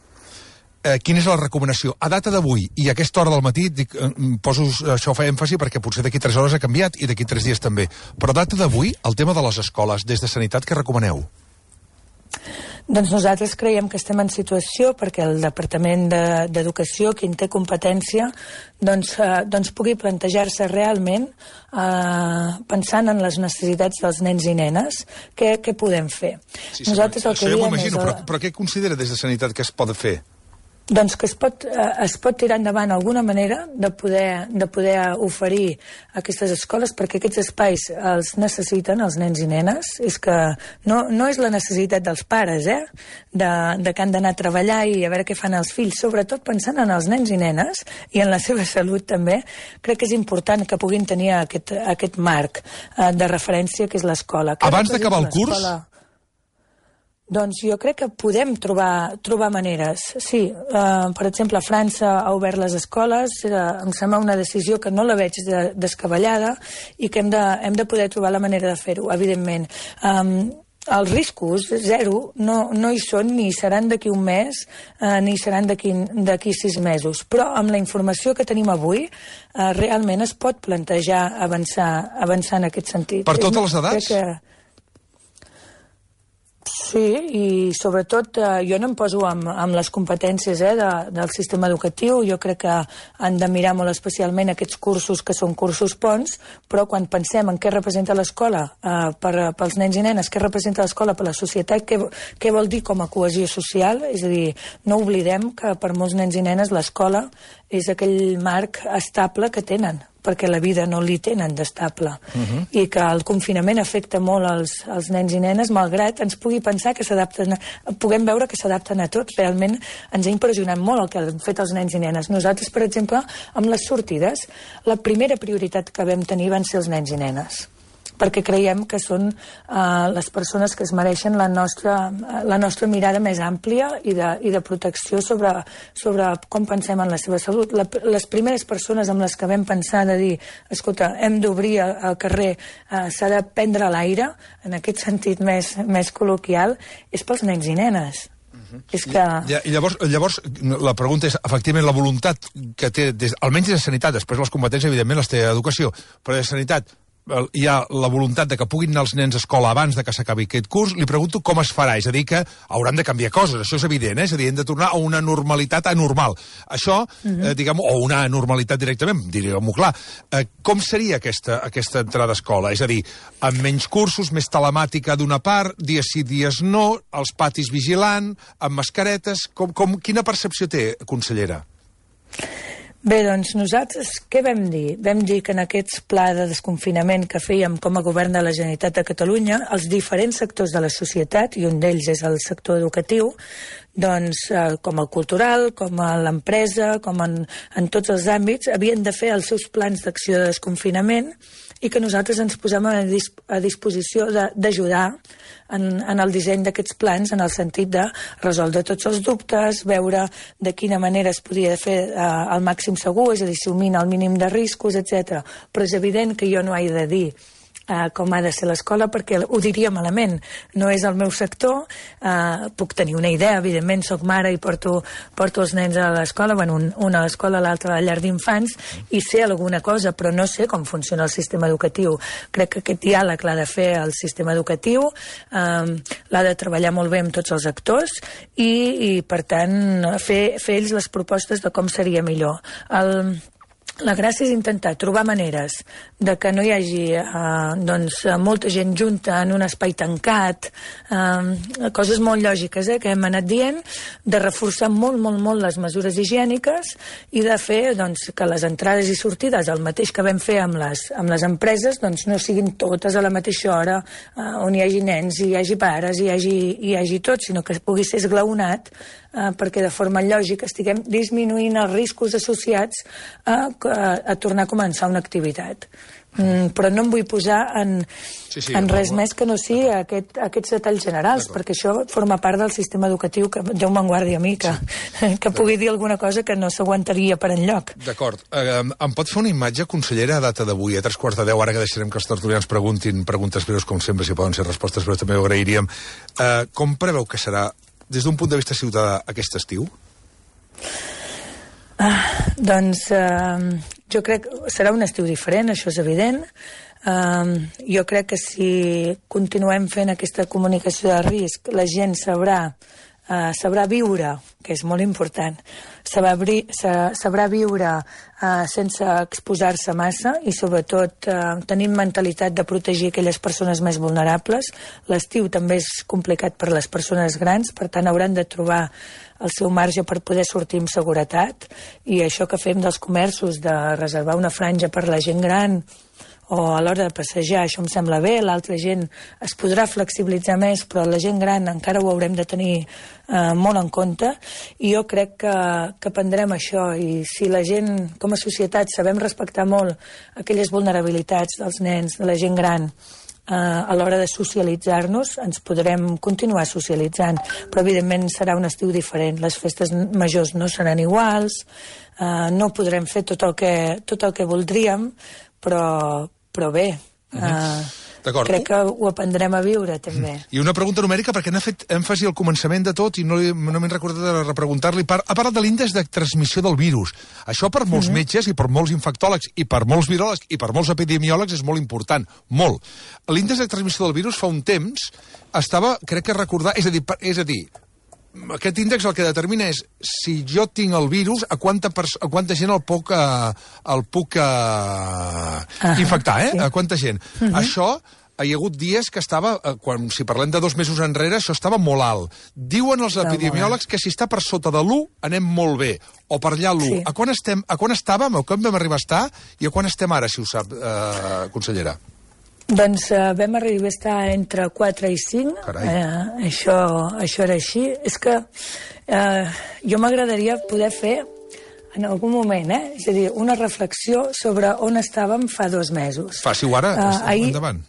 Eh, quina és la recomanació? A data d'avui i a aquesta hora del matí, dic, eh, poso això fa èmfasi perquè potser d'aquí tres hores ha canviat i d'aquí tres dies també, però a data d'avui, el tema de les escoles, des de sanitat, què recomaneu? Doncs nosaltres creiem que estem en situació perquè el Departament d'Educació, qui en té competència, doncs, eh, doncs pugui plantejar-se realment, eh, pensant en les necessitats dels nens i nenes, què, què podem fer. Sí, nosaltres el que això ja m'ho imagino, però, però què considera des de sanitat que es pot fer? Doncs que es pot, eh, es pot tirar endavant alguna manera de poder, de poder oferir aquestes escoles, perquè aquests espais els necessiten els nens i nenes. És que no, no és la necessitat dels pares, eh? de, de que han d'anar a treballar i a veure què fan els fills, sobretot pensant en els nens i nenes i en la seva salut també. Crec que és important que puguin tenir aquest, aquest marc eh, de referència que és l'escola. Abans d'acabar el curs? Doncs jo crec que podem trobar, trobar maneres. Sí, eh, per exemple, França ha obert les escoles, eh, em sembla una decisió que no la veig de, descabellada i que hem de, hem de poder trobar la manera de fer-ho, evidentment. Um, els riscos, zero, no, no hi són ni seran d'aquí un mes eh, ni seran d'aquí sis mesos. Però amb la informació que tenim avui, eh, realment es pot plantejar avançar, avançar en aquest sentit. Per totes les edats? Crec que Sí, i sobretot eh, jo no em poso amb, amb les competències eh, de, del sistema educatiu. Jo crec que han de mirar molt especialment aquests cursos que són cursos ponts, però quan pensem en què representa l'escola eh, per, pels nens i nenes, què representa l'escola per la societat, què, què vol dir com a cohesió social, és a dir, no oblidem que per molts nens i nenes l'escola és aquell marc estable que tenen, perquè la vida no li tenen d'estable. Uh -huh. I que el confinament afecta molt als, als nens i nenes, malgrat ens pugui pensar que s'adapten, puguem veure que s'adapten a tot. Realment ens ha impressionat molt el que han fet els nens i nenes. Nosaltres, per exemple, amb les sortides, la primera prioritat que vam tenir van ser els nens i nenes, perquè creiem que són uh, les persones que es mereixen la nostra, la nostra mirada més àmplia i de, i de protecció sobre, sobre com pensem en la seva salut. La, les primeres persones amb les que vam pensar de dir, escolta, hem d'obrir al carrer, uh, s'ha de prendre l'aire, en aquest sentit més, més col·loquial, és pels nens i nenes. Uh-huh. És que... I, i llavors, llavors, la pregunta és, efectivament, la voluntat que té, des, almenys de sanitat, després les competències, evidentment, les té educació, però de sanitat, hi ha la voluntat de que puguin anar els nens a escola abans de que s'acabi aquest curs. Li pregunto com es farà, és a dir, que hauran de canviar coses, això és evident, eh? És a dir, hem de tornar a una normalitat anormal. Això, uh-huh. eh, diguem, o una anormalitat directament, diríem-ho clar. Eh, com seria aquesta, aquesta entrada a escola? És a dir, amb menys cursos, més telemàtica d'una part, dies sí, dies no, els patis vigilant, amb mascaretes... Com, com, quina percepció té, consellera? Bé, doncs nosaltres què vam dir? Vam dir que en aquest pla de desconfinament que fèiem com a govern de la Generalitat de Catalunya, els diferents sectors de la societat, i un d'ells és el sector educatiu, doncs eh, com el cultural, com a l'empresa, com en, en tots els àmbits, havien de fer els seus plans d'acció de desconfinament i que nosaltres ens posem a, disp a disposició d'ajudar en, en el disseny d'aquests plans, en el sentit de resoldre tots els dubtes, veure de quina manera es podia fer eh, al màxim segur, és a dir, assumint el mínim de riscos, etcètera. Però és evident que jo no he de dir Uh, com ha de ser l'escola, perquè ho diria malament. No és el meu sector, uh, puc tenir una idea, evidentment, soc mare i porto, porto els nens a l'escola, bueno, un, una a l'escola, l'altra a la llar d'infants, i sé alguna cosa, però no sé com funciona el sistema educatiu. Crec que aquest diàleg l'ha de fer el sistema educatiu, uh, l'ha de treballar molt bé amb tots els actors, i, i per tant, fer, fer ells les propostes de com seria millor. El... La gràcia és intentar trobar maneres de que no hi hagi eh, doncs, molta gent junta en un espai tancat, eh, coses molt lògiques eh, que hem anat dient, de reforçar molt, molt, molt les mesures higièniques i de fer doncs, que les entrades i sortides, el mateix que vam fer amb les, amb les empreses, doncs, no siguin totes a la mateixa hora, eh, on hi hagi nens, hi hagi pares, hi hagi, hi hagi tot, sinó que pugui ser esglaonat, eh, perquè de forma lògica estiguem disminuint els riscos associats a A, a tornar a començar una activitat. Mm, però no em vull posar en, sí, sí, en res més que no sigui aquest, aquests detalls generals, perquè això forma part del sistema educatiu, que Déu me'n guardi a mi, que, sí. que pugui dir alguna cosa que no s'aguantaria per enlloc. D'acord. Eh, em pot fer una imatge, consellera, a data d'avui, a tres quarts de deu, ara que deixarem que els tertulians preguntin preguntes breus, com sempre, si poden ser respostes breus, també ho agrairíem. Eh, com preveu que serà, des d'un punt de vista ciutadà, aquest estiu? Ah, doncs eh, jo crec que serà un estiu diferent, això és evident. Eh, jo crec que si continuem fent aquesta comunicació de risc, la gent sabrà, eh, sabrà viure, que és molt important, sabrà, sabrà viure eh, sense exposar-se massa i sobretot eh, tenint mentalitat de protegir aquelles persones més vulnerables. L'estiu també és complicat per les persones grans, per tant hauran de trobar el seu marge per poder sortir amb seguretat, i això que fem dels comerços de reservar una franja per la gent gran o a l'hora de passejar, això em sembla bé. L'altra gent es podrà flexibilitzar més, però la gent gran encara ho haurem de tenir eh, molt en compte, i jo crec que, que prendrem això, i si la gent, com a societat, sabem respectar molt aquelles vulnerabilitats dels nens, de la gent gran, Uh, a l'hora de socialitzar-nos, ens podrem continuar socialitzant, però evidentment serà un estiu diferent. Les festes majors no seran iguals, uh, no podrem fer tot el que, tot el que voldríem, però, però bé, uh, crec que ho aprendrem a viure, també. I una pregunta numèrica, perquè n'ha fet èmfasi al començament de tot i no, li, no m'he recordat de repreguntar-li. Ha parlat de l'índex de transmissió del virus. Això per molts mm-hmm. metges i per molts infectòlegs i per molts viròlegs i per molts epidemiòlegs és molt important, molt. L'índex de transmissió del virus fa un temps estava, crec que recordar, és a dir, és a dir aquest índex el que determina és si jo tinc el virus, a quanta, a quanta gent el puc, uh, el puc uh, ah, infectar, eh? Sí. A quanta gent. Uh-huh. Això, hi ha hagut dies que estava, quan, si parlem de dos mesos enrere, això estava molt alt. Diuen els epidemiòlegs que si està per sota de l'u, anem molt bé, o per allà l'u. Sí. A quan estem, a quan estàvem, a quan vam arribar a estar, i a quan estem ara, si ho sap, eh, consellera? Doncs uh, vam arribar a estar entre quatre i cinc, eh, això, això era així. És que eh, jo m'agradaria poder fer en algun moment, eh? És a dir, una reflexió sobre on estàvem fa dos mesos. Faci-ho ara, uh, ahir... endavant.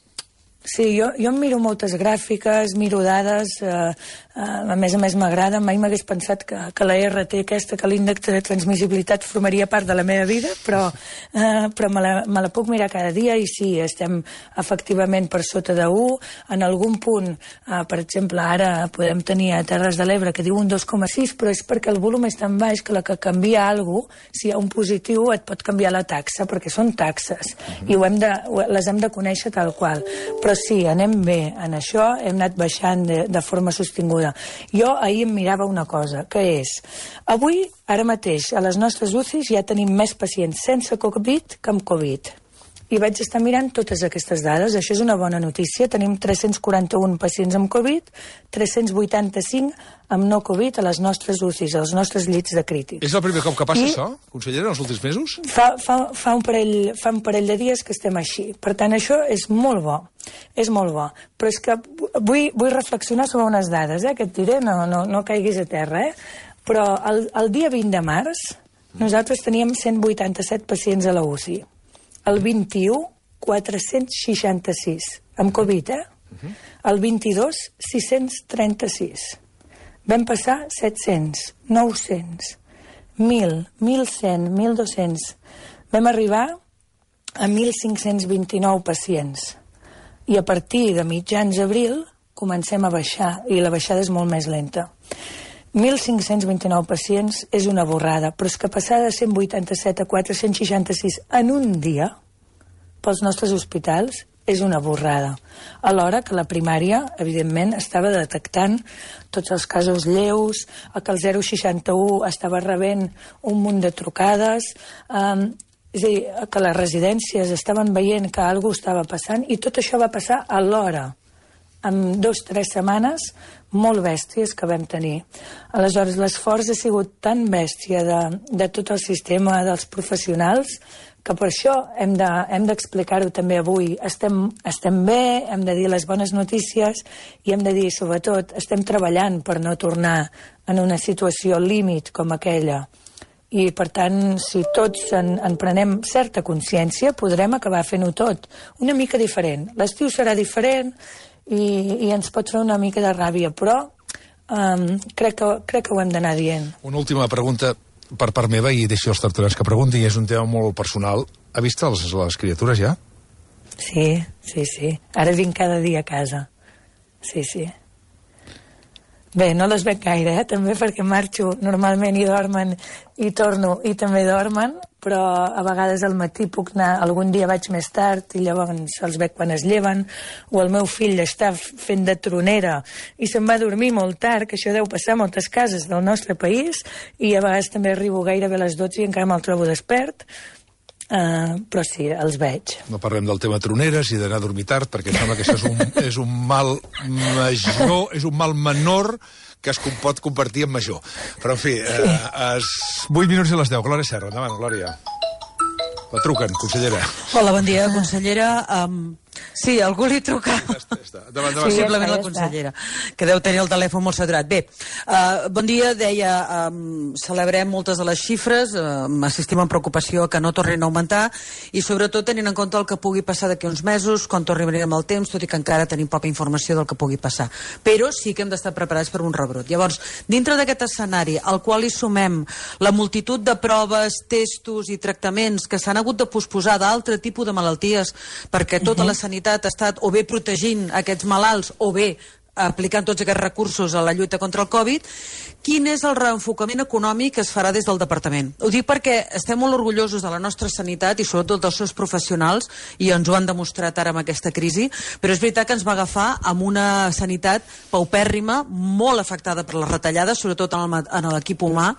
Sí, jo, jo em miro moltes gràfiques, miro dades, eh, eh, a més a més m'agrada, mai m'hagués pensat que, que la R T aquesta, que l'índex de transmissibilitat formaria part de la meva vida, però, eh, però me, la, me la puc mirar cada dia i sí, estem efectivament per sota de u, en algun punt, eh, per exemple, ara podem tenir a Terres de l'Ebre que diu un dos coma sis, però és perquè el volum és tan baix que la que canvia alguna cosa, si hi ha un positiu et pot canviar la taxa, perquè són taxes, uh-huh. i ho hem de, les hem de conèixer tal qual. Però sí, anem bé en això, hem anat baixant de, de forma sostinguda. Jo ahir em mirava una cosa, que és, avui, ara mateix, a les nostres U C Is ja tenim més pacients sense Covid que amb Covid. I vaig estar mirant totes aquestes dades, això és una bona notícia, tenim tres-cents quaranta-un pacients amb Covid, tres-cents vuitanta-cinc amb no Covid a les nostres U C Is, als nostres llits de crítics. És el primer cop que passa I això, consellera, en els últims mesos? Fa, fa, fa, un parell, fa un parell de dies que estem així. Per tant, això és molt bo, és molt bo. Però és que vull, vull reflexionar sobre unes dades, eh, que et diré, no, no, no caiguis a terra, eh? Però el, el dia vint de març nosaltres teníem cent vuitanta-set pacients a la U C I. El vint-i-u, quatre-cents seixanta-sis, amb Covid, eh? Uh-huh. El vint-i-dos, sis-cents trenta-sis. Vam passar set-cents, nou-cents, mil, mil cent, mil dos-cents. Vam arribar a mil cinc-cents vint-i-nou pacients. I a partir de mitjans d'abril comencem a baixar, i la baixada és molt més lenta. mil cinc-cents vint-i-nou pacients és una borrada, però és que passar de cent vuitanta-set a quatre-cents seixanta-sis en un dia pels nostres hospitals és una borrada. Alhora que la primària, evidentment, estava detectant tots els casos lleus, que el zero seixanta-u estava rebent un munt de trucades, eh, és a dir, que les residències estaven veient que alguna cosa estava passant, i tot això va passar alhora, amb dues o tres setmanes molt bèsties que vam tenir. Aleshores, l'esforç ha sigut tan bèstia de, de tot el sistema, dels professionals, que per això hem de, hem d'explicar-ho també avui. Estem, estem bé, hem de dir les bones notícies i hem de dir, sobretot, estem treballant per no tornar en una situació límit com aquella. I, per tant, si tots en, en prenem certa consciència, podrem acabar fent-ho tot una mica diferent. L'estiu serà diferent, i, i ens pot fer una mica de ràbia, però um, crec, que, crec que ho hem d'anar dient. Una última pregunta per part meva, i deixo els tertulians que preguntin, i és un tema molt personal. Ha vist les, les criatures ja? Sí, sí, sí. Ara vinc cada dia a casa. Sí, sí. Bé, no les veig gaire, eh? També perquè marxo normalment i dormen i torno i també dormen, però a vegades al matí puc anar, algun dia vaig més tard i llavors els veig quan es lleven, o el meu fill està fent de tronera i se'n va a dormir molt tard, que això deu passar a moltes cases del nostre país, i a vegades també arribo gairebé a les dotze i encara me'l trobo despert. Uh, però sí, els veig. No parlem del tema troneres i d'anar a dormir tard, perquè sembla que això és un, és un mal major, és un mal menor que es pot convertir en major. Però, en fi, sí. uh, es... vuit minuts i les deu. Glòria Serra, endavant, Glòria. La truquen, consellera. Hola, bon dia, consellera. Um, sí, algú li truca. Ja està, ja està. Davant, davant. Sí, simplement la consellera, que deu tenir el telèfon molt saturat. Bé, uh, bon dia, deia, um, celebrem moltes de les xifres, uh, assistim amb preocupació que no tornin a augmentar, i sobretot tenint en compte el que pugui passar d'aquí uns mesos, quan tornarem el temps, tot i que encara tenim poca informació del que pugui passar. Però sí que hem d'estar preparats per un rebrot. Llavors, dintre d'aquest escenari, al qual hi sumem la multitud de proves, testos i tractaments que s'han hagut de posposar d'altre tipus de malalties, perquè tot uh-huh. l'escenari sanitat ha estat o bé protegint aquests malalts o bé aplicant tots aquests recursos a la lluita contra el Covid, quin és el reenfocament econòmic que es farà des del departament? Ho dic perquè estem molt orgullosos de la nostra sanitat i sobretot dels seus professionals, i ens ho han demostrat ara amb aquesta crisi, però és veritat que ens va agafar amb una sanitat paupèrrima, molt afectada per les retallades, sobretot en l'equip humà,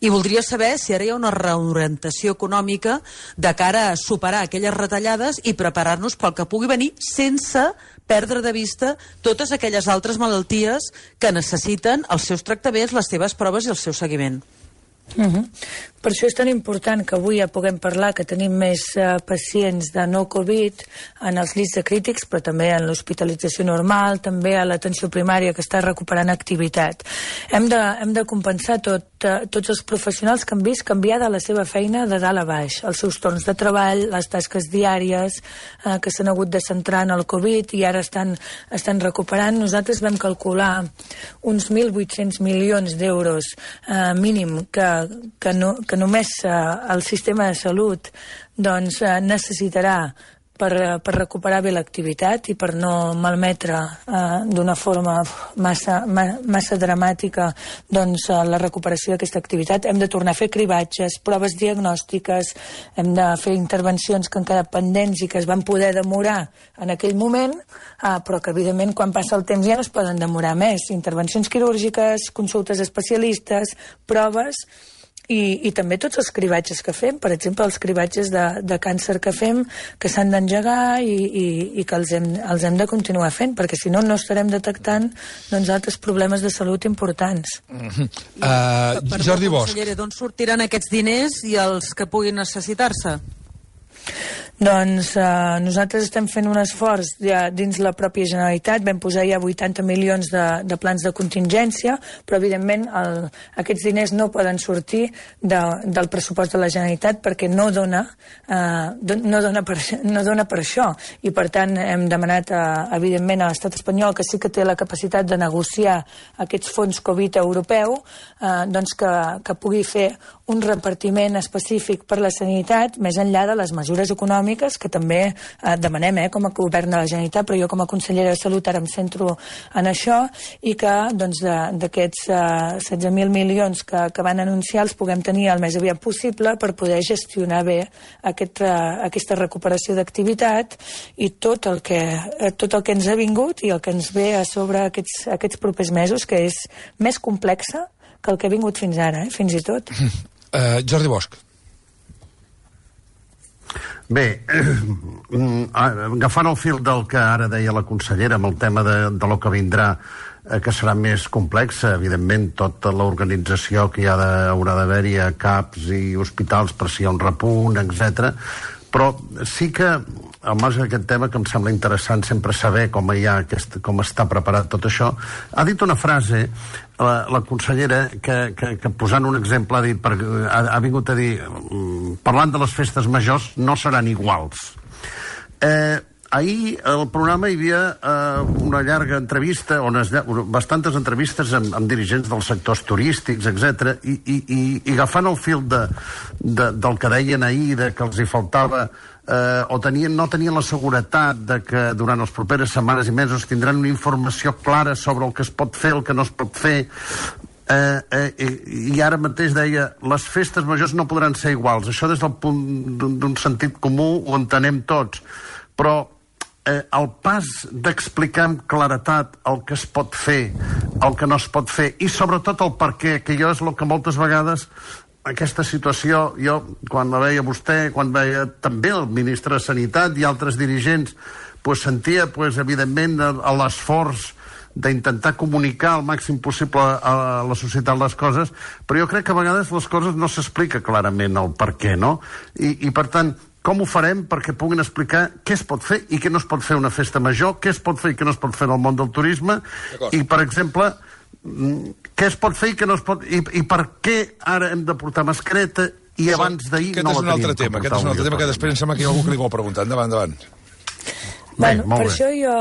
i voldria saber si ara hi ha una reorientació econòmica de cara a superar aquelles retallades i preparar-nos pel que pugui venir sense perdre de vista totes aquelles altres malalties que necessiten els seus tractaments, les seves proves i el seu seguiment. Uh-huh. Per això és tan important que avui ja puguem parlar que tenim més uh, pacients de no Covid en els llits de crítics, però també en l'hospitalització normal, també a l'atenció primària que està recuperant activitat. Hem de, hem de compensar tot, uh, tots els professionals que han vist canviar de la seva feina de dalt a baix, els seus torns de treball, les tasques diàries uh, que s'han hagut de centrar en el Covid i ara estan, estan recuperant. Nosaltres vam calcular uns mil vuit-cents milions d'euros uh, mínim que que, no, que només eh, el sistema de salut doncs, eh, necessitarà per, per recuperar bé l'activitat i per no malmetre eh, d'una forma massa, ma, massa dramàtica doncs, eh, la recuperació d'aquesta activitat. Hem de tornar a fer cribatges, proves diagnòstiques, hem de fer intervencions que han quedat pendents i que es van poder demorar en aquell moment, eh, però que evidentment quan passa el temps ja no es poden demorar més. Intervencions quirúrgiques, consultes especialistes, proves... I, i també tots els cribatges que fem, per exemple, els cribatges de, de càncer que fem, que s'han d'engegar i, i, i que els hem, els hem de continuar fent, perquè si no, no estarem detectant doncs, altres problemes de salut importants. Mm-hmm. uh, Jordi Bosch. D'on sortiran aquests diners i els que puguin necessitar-se? Doncs eh, nosaltres estem fent un esforç ja dins la pròpia Generalitat, vam posar ja vuitanta milions de, de plans de contingència, però evidentment el, aquests diners no poden sortir de, del pressupost de la Generalitat perquè no dona, eh, no, dona per, no dona per això, i per tant hem demanat eh, evidentment a l'estat espanyol, que sí que té la capacitat de negociar aquests fons Covid europeu, eh, doncs que, que pugui fer un repartiment específic per la sanitat, més enllà de les mesures econòmiques que també eh, demanem eh, com a govern de la Generalitat, però jo com a consellera de Salut ara em centro en això, i que doncs, d'aquests eh, setze mil milions que, que van anunciar els puguem tenir el més aviat possible per poder gestionar bé aquest, eh, aquesta recuperació d'activitat i tot el, que, eh, tot el que ens ha vingut i el que ens ve a sobre aquests, aquests propers mesos, que és més complexa que el que ha vingut fins ara, eh, fins i tot. Uh, Jordi Bosch. Bé, eh, agafant el fil del que ara deia la consellera amb el tema de, de lo que vindrà, eh, que serà més complex, evidentment tota l'organització que hi ha de, haurà d'haver-hi a C A Ps i hospitals per si hi ha un repunt, etcètera. Però sí que al marge d'aquest tema, que em sembla interessant sempre saber com hi ha aquest, com està preparat tot això, ha dit una frase la, la consellera que, que, que posant un exemple ha dit, per, ha, ha vingut a dir, parlant de les festes majors no seran iguals. Eh, ahir al programa hi havia eh, una llarga entrevista, on es, bastantes entrevistes amb, amb dirigents dels sectors turístics, etcètera, i, i, i, i agafant el fil de, de, del que deien ahir, de que els hi faltava eh, o tenien, no tenien la seguretat de que durant les properes setmanes i mesos tindran una informació clara sobre el que es pot fer, el que no es pot fer. Eh, eh, i ara mateix deia, les festes majors no podran ser iguals. Això des del punt d'un sentit comú ho entenem tots, però eh, el pas d'explicar amb claretat el que es pot fer, el que no es pot fer, i sobretot el per què, que jo és el que moltes vegades aquesta situació, jo quan la veia vostè, quan veia també el ministre de Sanitat i altres dirigents, pues sentia pues, evidentment l'esforç d'intentar comunicar el màxim possible a la societat les coses, però jo crec que a vegades les coses no s'explica clarament el per què, no? I, i per tant, com ho farem perquè puguin explicar què es pot fer i què no es pot fer una festa major, què es pot fer i què no es pot fer en el món del turisme, i per exemple, què es pot fer i què no es pot... I, i per què ara hem de portar mascareta i abans d'ahir no la teníem. Aquest és un altre tema, aquest és un altre tema que després em sembla que hi ha algú que li vol preguntar. Endavant, endavant. Bueno, molt per bé. això jo,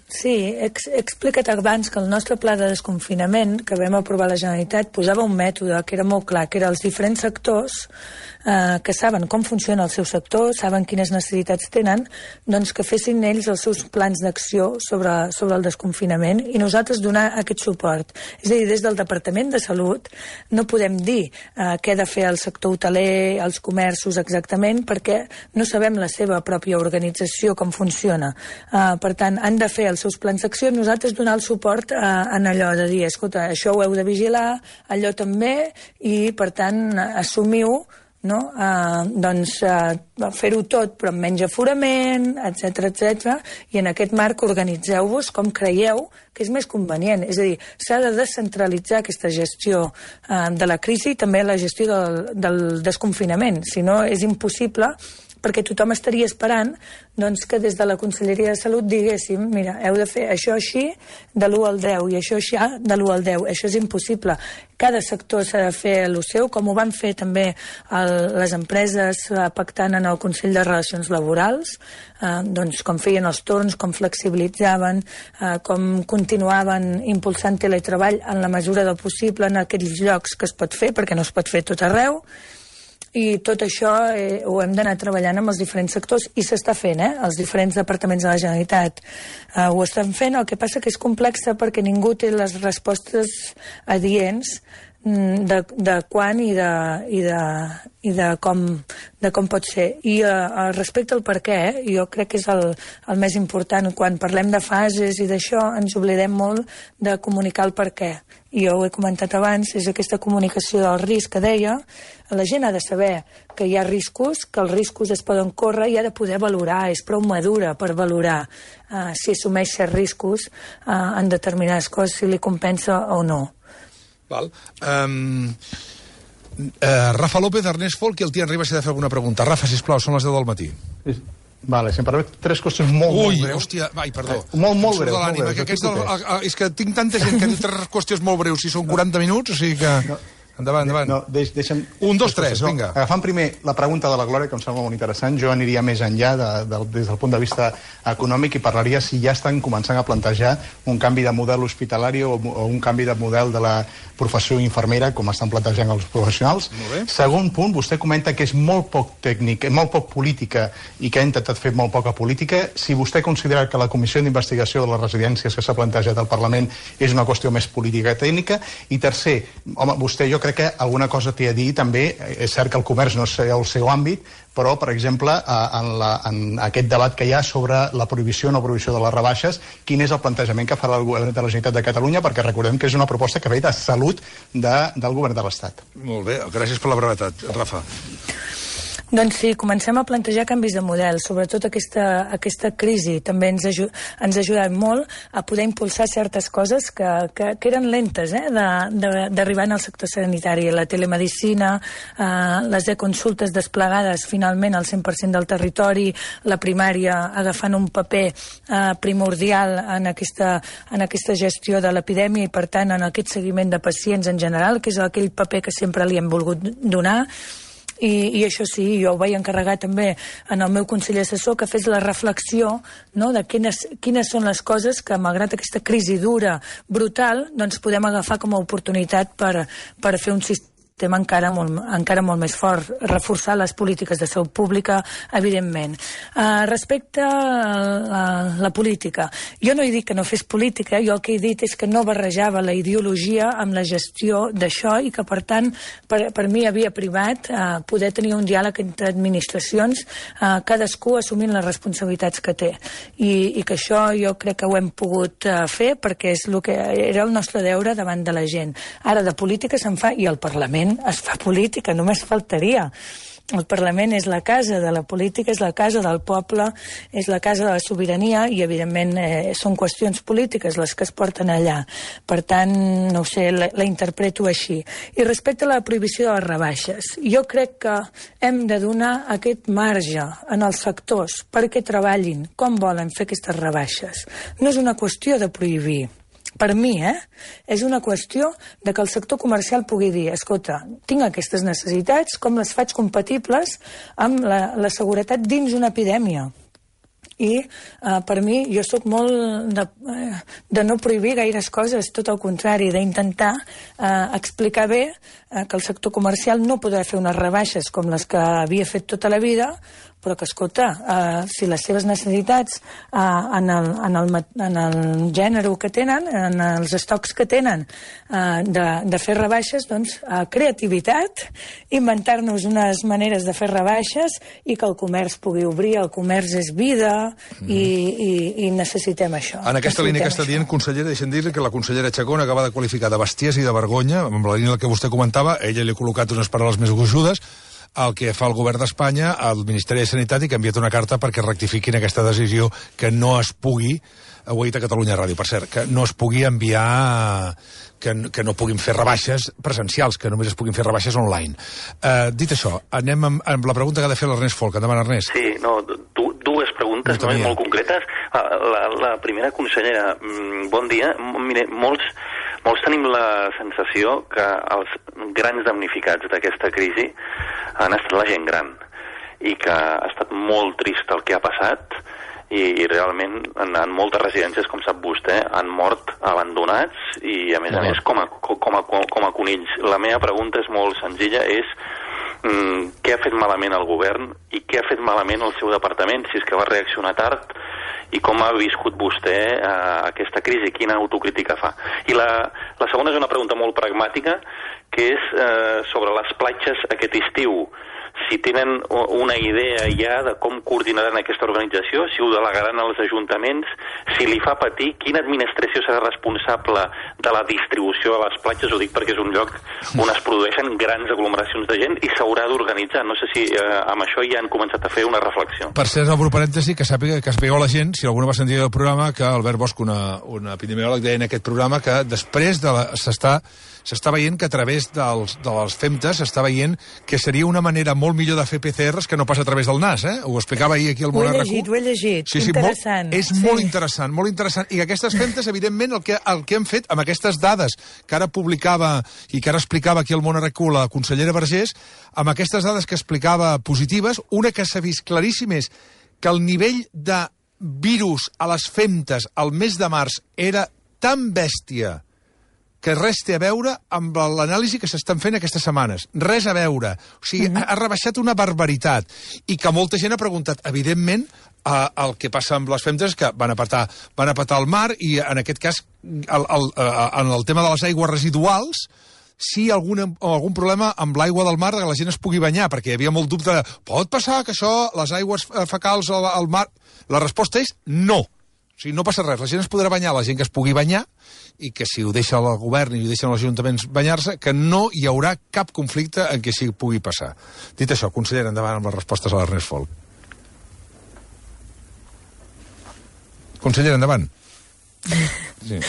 sí, he, he explicat abans que el nostre pla de desconfinament que vam aprovar a la Generalitat posava un mètode que era molt clar, que era els diferents sectors eh, que saben com funciona el seu sector, saben quines necessitats tenen, doncs que fessin ells els seus plans d'acció sobre, sobre el desconfinament i nosaltres donar aquest suport. És a dir, des del Departament de Salut no podem dir eh, què ha de fer el sector hoteler, els comerços exactament, perquè no sabem la seva pròpia organització, com funciona. Uh, per tant, han de fer els seus plans d'acció, nosaltres donar el suport uh, en allò de dir, escolta, això ho heu de vigilar, allò també, i per tant, assumiu, no? Uh, doncs uh, fer-ho tot, però amb menys aforament, etcètera, etcètera, i en aquest marc organitzeu-vos com creieu que és més convenient. És a dir, s'ha de descentralitzar aquesta gestió uh, de la crisi i també la gestió del, del desconfinament. Si no, és impossible, perquè tothom estaria esperant doncs, que des de la Conselleria de Salut diguéssim, mira, heu de fer això així de l'u al deu i això així de l'u al deu. Això és impossible. Cada sector s'ha de fer el seu, com ho van fer també el, les empreses eh, pactant en el Consell de Relacions Laborals, eh, doncs com feien els torns, com flexibilitzaven, eh, com continuaven impulsant teletreball en la mesura del possible en aquells llocs que es pot fer, perquè no es pot fer tot arreu. I tot això eh, ho hem d'anar treballant amb els diferents sectors i s'està fent, eh? Els diferents departaments de la Generalitat eh, ho estan fent, el que passa que és complexa perquè ningú té les respostes adients de, de quan i de, i de, i de, com, de com pot ser. I eh, respecte al per què, eh, jo crec que és el, el més important. Quan parlem de fases i d'això ens oblidem molt de comunicar el per què. I jo ho he comentat abans, és aquesta comunicació del risc que deia. La gent ha de saber que hi ha riscos, que els riscos es poden córrer i ha de poder valorar, és prou madura per valorar uh, si assumeix certs riscos uh, en determinades coses, si li compensa o no. Val. Um, uh, Rafa López, Ernest Folk i el Tian Ribas si ha de fer alguna pregunta. Rafa, sisplau, són les deu del matí. Sí. Vale, si em permet, tres qüestions molt, Ui, molt breus. hòstia, vai, perdó. Eh, molt, molt Em surt breus, de l'ànima, molt breus, que aquests explico del, tres. a, a, és que tinc tanta gent que diu tres qüestions molt breus, si són quaranta minuts, o sigui que... No. Endavant, endavant. No, deix, deixa'm... Un, dos, tres, no, vinga. Agafant primer la pregunta de la Glòria, que em sembla molt interessant, jo aniria més enllà de, de, des del punt de vista econòmic i parlaria si ja estan començant a plantejar un canvi de model hospitalari o, o un canvi de model de la professió infermera, com estan plantejant els professionals. Segon punt, vostè comenta que és molt poc tècnic, molt poc política i que ha intentat fer molt poca política. Si vostè considera que la comissió d'investigació de les residències que s'ha plantejat al Parlament és una qüestió més política i tècnica. I tercer, home, vostè jo crec que alguna cosa té a dir també, és cert que el comerç no és el seu àmbit, però, per exemple, en, la, en aquest debat que hi ha sobre la prohibició o no prohibició de les rebaixes, quin és el plantejament que farà el govern de la Generalitat de Catalunya, perquè recordem que és una proposta que ve de salut de, del govern de l'Estat. Molt bé, gràcies per la brevetat. Rafa. Doncs sí, comencem a plantejar canvis de model, sobretot aquesta, aquesta crisi també ens, aju ens ha ajudat molt a poder impulsar certes coses que, que, que eren lentes eh, d'arribar en el sector sanitari, la telemedicina, eh, les e-consultes desplegades finalment al cent per cent del territori, la primària agafant un paper eh, primordial en aquesta, en aquesta gestió de l'epidèmia i per tant en aquest seguiment de pacients en general, que és aquell paper que sempre li hem volgut donar. I, i això sí, jo ho vaig encarregar també en el meu consell assessor que fes la reflexió, no, de quines, quines són les coses que, malgrat aquesta crisi dura, brutal, doncs podem agafar com a oportunitat per, per fer un sistema encara molt, encara molt més fort, reforçar les polítiques de salut pública, evidentment. Uh, respecte a la, la política, jo no he dit que no fes política, jo el que he dit és que no barrejava la ideologia amb la gestió d'això i que, per tant, per, per mi havia privat uh, poder tenir un diàleg entre administracions, uh, cadascú assumint les responsabilitats que té. I, i que això jo crec que ho hem pogut uh, fer perquè és el que era el nostre deure davant de la gent. Ara de política se'n fa, i el Parlament es fa política, només faltaria. El Parlament és la casa de la política, és la casa del poble, és la casa de la sobirania i, evidentment, eh, són qüestions polítiques les que es porten allà. Per tant, no ho sé, la, la interpreto així. I respecte a la prohibició de les rebaixes, jo crec que hem de donar aquest marge en els sectors perquè treballin com volen fer aquestes rebaixes. No és una qüestió de prohibir. Per mi, eh, és una qüestió de que el sector comercial pugui dir, escolta, tinc aquestes necessitats, com les faig compatibles amb la, la seguretat dins una epidèmia? I eh, per mi, jo sóc molt de, eh, de no prohibir gaires coses, tot el contrari, d'intentar eh, explicar bé eh, que el sector comercial no podrà fer unes rebaixes com les que havia fet tota la vida, però que, escolta, eh, si les seves necessitats eh, en, el, en, el, en el gènere que tenen, en els estocs que tenen eh, de, de fer rebaixes, doncs eh, creativitat, inventar-nos unes maneres de fer rebaixes i que el comerç pugui obrir, el comerç és vida mm. i, i, i necessitem això. En aquesta línia que està dient, consellera, deixem dir que la consellera Chacón acaba de qualificar de bestiesa i de vergonya, amb la línia que vostè comentava, ella li ha col·locat unes paraules més gruixudes, el que fa el govern d'Espanya al Ministeri de Sanitat i que ha enviat una carta perquè rectifiquin aquesta decisió que no es pugui, ho ha dit a Catalunya Ràdio, per cert, que no es pugui enviar, que, que no puguin fer rebaixes presencials, que només es puguin fer rebaixes online. Uh, dit això, anem amb, amb la pregunta que ha de fer l'Ernest Folk. Endavant, Ernest. Sí, no, du, dues preguntes no, molt concretes. La, la primera, consellera, bon dia. Mire, molts, molts tenim la sensació que els grans damnificats d'aquesta crisi han estat la gent gran i que ha estat molt trist el que ha passat i, i realment en, en moltes residències, com sap vostè, han mort abandonats i a més a més com a, com a, com a conills. La meva pregunta és molt senzilla, és mm, què ha fet malament el govern i què ha fet malament el seu departament, si és que va reaccionar tard, i com ha viscut vostè eh, aquesta crisi, quina autocrítica fa. I la, la segona és una pregunta molt pragmàtica, que és eh, sobre les platges aquest estiu. Si tenen una idea ja de com coordinaran aquesta organització, si ho delegaran als ajuntaments, si li fa patir, quina administració serà responsable de la distribució a les platges, ho dic perquè és un lloc on es produeixen grans aglomeracions de gent i s'haurà d'organitzar. No sé si eh, amb això ja han començat a fer una reflexió. Per cert, obro parèntesi, que sàpiga que sapigueu la gent, si alguna va sentir el programa, que Albert Bosch, una, una epidemiòleg, deia en aquest programa que després de la, s'està s'està veient que a través dels, de les femtes s'està veient que seria una manera molt millor de fer P C Rs que no passa a través del nas, eh? Ho explicava ahir aquí al Món R Q. Ho he llegit, ho he llegit. Sí, sí, interessant. Molt, és sí. molt interessant, molt interessant. I que aquestes femtes, evidentment, el que, el que han fet amb aquestes dades que ara publicava i que ara explicava aquí al Món R Q la consellera Vergés, amb aquestes dades que explicava positives, una que s'ha vist claríssim és que el nivell de virus a les femtes al mes de març era tan bèstia que res té a veure amb l'anàlisi que s'estan fent aquestes setmanes. Res a veure. O sigui, mm-hmm. ha, ha rebaixat una barbaritat. I que molta gent ha preguntat, evidentment, eh, el que passa amb les femtes és que van a petar, van a petar el mar i, en aquest cas, el, el, eh, en el tema de les aigües residuals, sí algun, algun problema amb l'aigua del mar que la gent es pugui banyar, perquè hi havia molt dubte de, pot passar que això, les aigües fecals al, al mar... La resposta és no. O sigui, no passa res, la gent es podrà banyar, la gent que es pugui banyar, i que si ho deixa el govern i ho deixen els ajuntaments banyar-se, que no hi haurà cap conflicte en què sí pugui passar. Dit això, consellera, endavant amb les respostes a l'Ernest Folk. Consellera, endavant. Sí.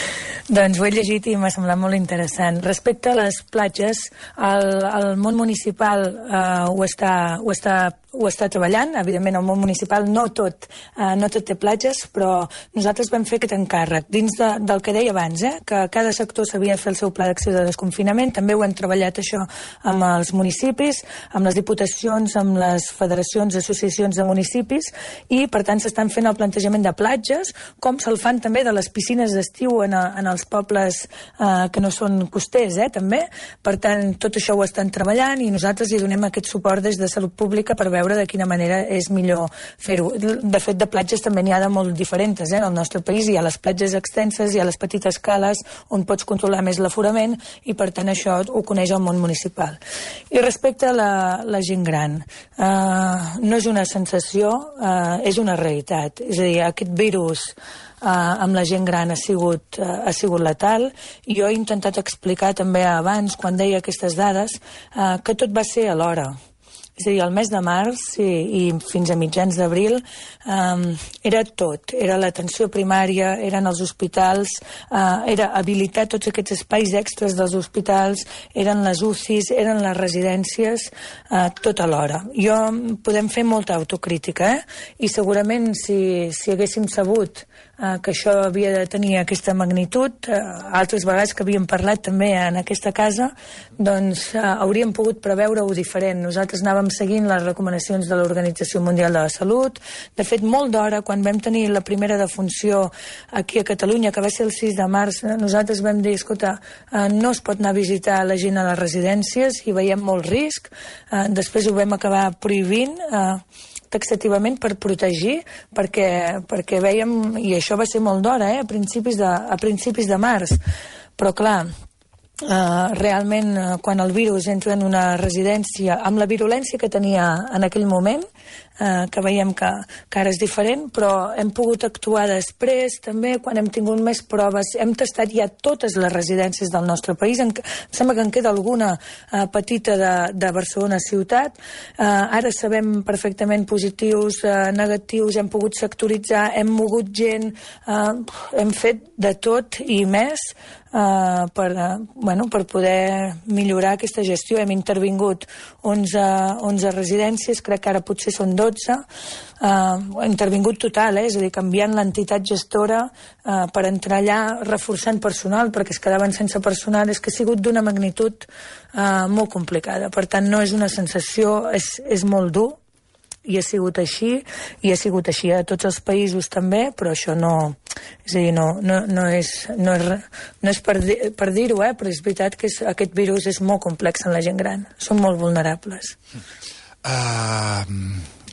Doncs ho he llegit i m'ha semblat molt interessant. Respecte a les platges, el, el món municipal eh, ho, està, ho, està, ho està treballant. Evidentment, el món municipal no tot, eh, no tot té platges, però nosaltres vam fer aquest encàrrec. Dins de, del que deia abans, eh, que cada sector s'havia de fer el seu pla d'acció de desconfinament, també ho hem treballat això amb els municipis, amb les diputacions, amb les federacions, associacions de municipis, i per tant s'estan fent el plantejament de platges, com se'l fan també de les piscines d'estiu en, a, en els pobles eh, que no són costers, eh, també. Per tant, tot això ho estan treballant i nosaltres hi donem aquest suport des de Salut Pública per veure de quina manera és millor fer-ho. De fet, de platges també n'hi ha de molt diferents, eh, en el nostre país. Hi ha les platges extenses, hi ha les petites cales on pots controlar més l'aforament i, per tant, això ho coneix el món municipal. I respecte a la, la gent gran, eh, no és una sensació, eh, és una realitat. És a dir, aquest virus Uh, amb la gent gran ha sigut, uh, ha sigut letal. Jo he intentat explicar també abans, quan deia aquestes dades, uh, que tot va ser alhora. És a dir, el mes de març i, i fins a mitjans d'abril um, era tot. Era l'atenció primària, eren els hospitals, uh, era habilitar tots aquests espais extras dels hospitals, eren les U C Is, eren les residències, uh, tot alhora. Jo, podem fer molta autocrítica, eh? I segurament si, si haguéssim sabut eh, que això havia de tenir aquesta magnitud. Eh, altres vegades que havíem parlat també en aquesta casa, doncs eh, hauríem pogut preveure-ho diferent. Nosaltres anàvem seguint les recomanacions de l'Organització Mundial de la Salut. De fet, molt d'hora, quan vam tenir la primera defunció aquí a Catalunya, que va ser el sis de març, nosaltres vam dir, escolta, eh, no es pot anar a visitar la gent a les residències i veiem molt risc. Eh, després ho vam acabar prohibint eh, taxativament per protegir, perquè, perquè veiem, i això va ser molt d'hora, eh, a principis de, a principis de març, però clar, Uh, realment uh, quan el virus entra en una residència amb la virulència que tenia en aquell moment, uh, que veiem que, que ara és diferent, però hem pogut actuar després també quan hem tingut més proves. Hem tastat ja totes les residències del nostre país. En, em sembla que en queda alguna uh, petita de, de Barcelona ciutat. Uh, ara sabem perfectament positius, uh, negatius, hem pogut sectoritzar, hem mogut gent, uh, hem fet de tot i més Uh, per, uh, bueno, per poder millorar aquesta gestió. Hem intervingut onze, onze residències, crec que ara potser són dotze. Uh, intervingut total, eh? És a dir, canviant l'entitat gestora uh, per entrar allà, reforçant personal, perquè es quedaven sense personal. És que ha sigut d'una magnitud uh, molt complicada. Per tant, no és una sensació, és, és molt dur, i ha sigut així, i ha sigut així a tots els països també, però això no, és a dir, no, no, no és, no és, no és per, di, per dir-ho, eh, però és veritat que és, aquest virus és molt complex en la gent gran, són molt vulnerables. Uh,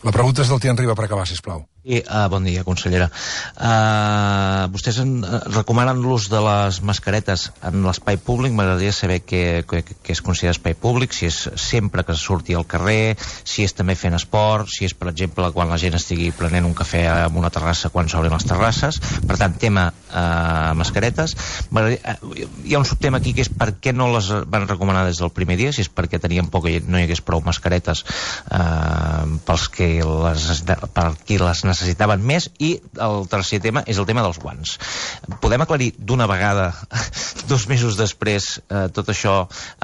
la pregunta és del Tian Riba per acabar, sisplau. Sí, uh, bon dia, consellera. Uh, vostès en, uh, recomanen l'ús de les mascaretes en l'espai públic. M'agradaria saber què, què, què es considera espai públic, si és sempre que surti al carrer, si és també fent esport, si és, per exemple, quan la gent estigui prenent un cafè en una terrassa quan s'obren les terrasses. Per tant, tema uh, mascaretes. Uh, hi ha un subtema aquí que és per què no les van recomanar des del primer dia, si és perquè tenien por que no hi hagués prou mascaretes uh, pels que les, per qui les necessiten necessitaven més, i el tercer tema és el tema dels guants. Podem aclarir d'una vegada, dos mesos després, eh, tot això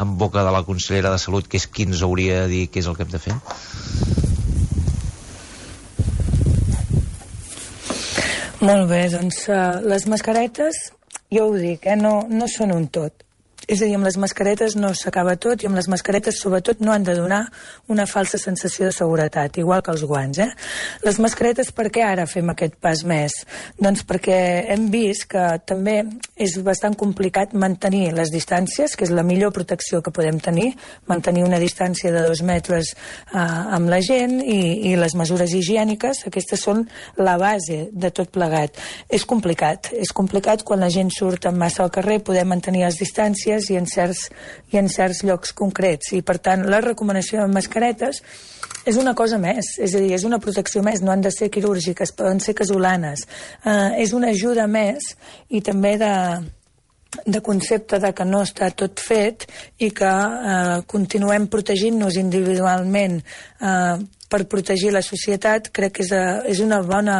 en boca de la consellera de Salut, que és qui ens hauria de dir què és el que hem de fer? Molt bé, doncs uh, les mascaretes, jo ho dic, eh, no, no són un tot. És a dir, amb les mascaretes no s'acaba tot, i amb les mascaretes sobretot no han de donar una falsa sensació de seguretat, igual que els guants, eh? Les mascaretes, per què ara fem aquest pas més? Doncs perquè hem vist que també és bastant complicat mantenir les distàncies, que és la millor protecció que podem tenir, mantenir una distància de dos metres eh, amb la gent, i, i les mesures higièniques, aquestes són la base de tot plegat. És complicat, és complicat quan la gent surt en massa al carrer, poder mantenir les distàncies i en certs, i en certs llocs concrets, i per tant la recomanació de mascaretes és una cosa més, és a dir, és una protecció més, no han de ser quirúrgiques, poden ser casolanes, eh, és una ajuda més, i també de, de concepte de que no està tot fet i que eh, continuem protegint-nos individualment eh, per protegir la societat. Crec que és, a, és, una bona,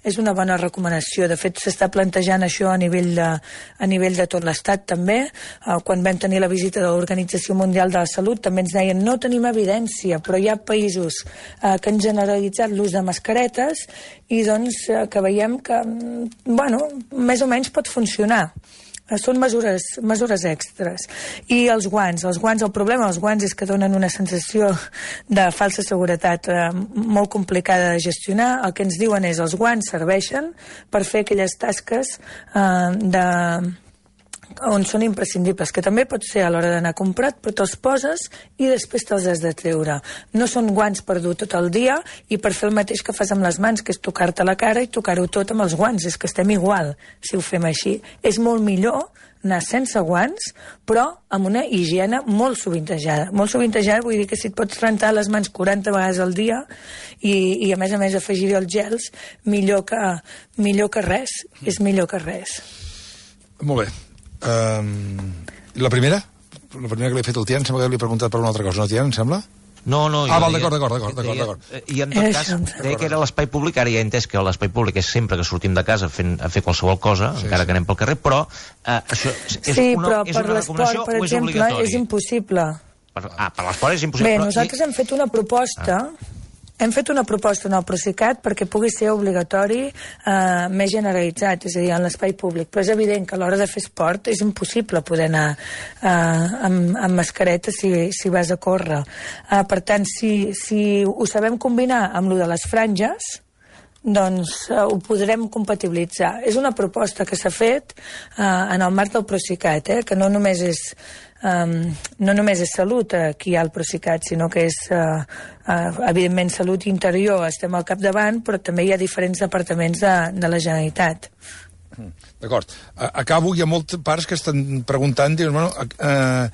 és una bona recomanació. De fet, s'està plantejant això a nivell de, a nivell de tot l'Estat també. Uh, quan vam tenir la visita de l'Organització Mundial de la Salut també ens deien no tenim evidència, però hi ha països uh, que han generalitzat l'ús de mascaretes, i doncs uh, que veiem que, bueno, més o menys pot funcionar. Són mesures, mesures extres. I els guants, els guants, el problema dels guants és que donen una sensació de falsa seguretat eh, molt complicada de gestionar. El que ens diuen és els guants serveixen per fer aquelles tasques eh, de on són imprescindibles, que també pot ser a l'hora d'anar a comprar, però te'ls poses i després te'ls has de treure. No són guants per dur tot el dia i per fer el mateix que fas amb les mans, que és tocar-te la cara i tocar-ho tot amb els guants. És que estem igual si ho fem així. És molt millor anar sense guants, però amb una higiene molt sovintejada. Molt sovintejada vull dir que si et pots rentar les mans quaranta vegades al dia i, i a més a més afegir-hi els gels, millor que, millor que res. És millor que res. Molt bé. Um, la primera? La primera que li he fet al Tian, sembla que li he preguntat per una altra cosa, no, Tian, em sembla? No, no... Ah, val, d'acord, d'acord, d'acord. I en tot cas, deia que era l'espai públic, ara ja he entès que l'espai públic és sempre que sortim de casa fent, a fer qualsevol cosa, sí, encara sí. que anem pel carrer, però eh, això és, sí, una, però és una recomanació per o és exemple, obligatori? És impossible. Per, ah, per l'esport és impossible. Bé, però... nosaltres hem fet una proposta... Ah. hem fet una proposta en el Procicat perquè pugui ser obligatori eh, més generalitzat, és a dir, en l'espai públic, però és evident que a l'hora de fer esport és impossible poder anar eh, amb, amb mascareta si, si vas a córrer. Eh, per tant, si, si ho sabem combinar amb lo de les franges, doncs uh, ho podrem compatibilitzar. És una proposta que s'ha fet uh, en el marc del Procicat, eh, que no només és um, no només és salut uh, aquí hi ha el Procicat, sinó que és uh, uh, evidentment salut interior, estem al capdavant, però també hi ha diferents departaments de, de la Generalitat. D'acord. Acabo, hi ha molts pares que estan preguntant, diuen, bueno, uh,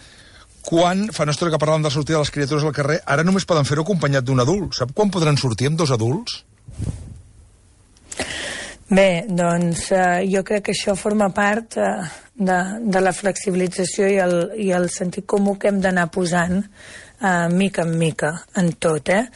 quan, fa una estona que parlàvem de la sortida de les criatures al carrer, ara només poden fer-ho acompanyat d'un adult. Sap quan podran sortir amb dos adults? Bé, doncs eh, jo crec que això forma part eh, de, de la flexibilització i el, i el sentit comú que hem d'anar posant eh, mica en mica en tot, eh?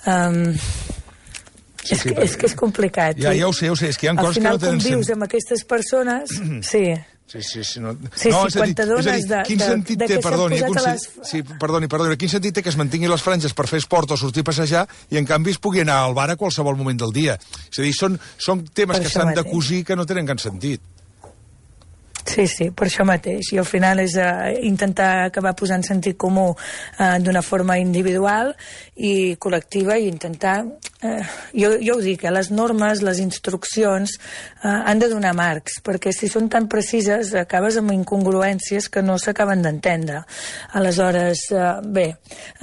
Um, sí, és, sí, que, és que és complicat. Ja, ja ho sé, ja ho sé, és que hi ha coses que no tenen... Al final, quan vius amb aquestes persones, sí... Sí, sí, sí. No, sí, no, sí, quan t'adones de, de, quin sentit de, de té, que perdoni, s'han posat a les... Sí, perdoni, perdoni, quin sentit té que es mantinguin les franges per fer esport o sortir a passejar i en canvi es pugui anar al bar a qualsevol moment del dia? És a dir, són, són temes per que s'han de cosir que no tenen cap sentit. Sí, sí, per això mateix. I al final és uh, intentar acabar posant sentit comú uh, d'una forma individual i col·lectiva i intentar... Uh, jo, jo ho dic, eh, les normes, les instruccions uh, han de donar marcs, perquè si són tan precises acabes amb incongruències que no s'acaben d'entendre. Aleshores, uh, bé,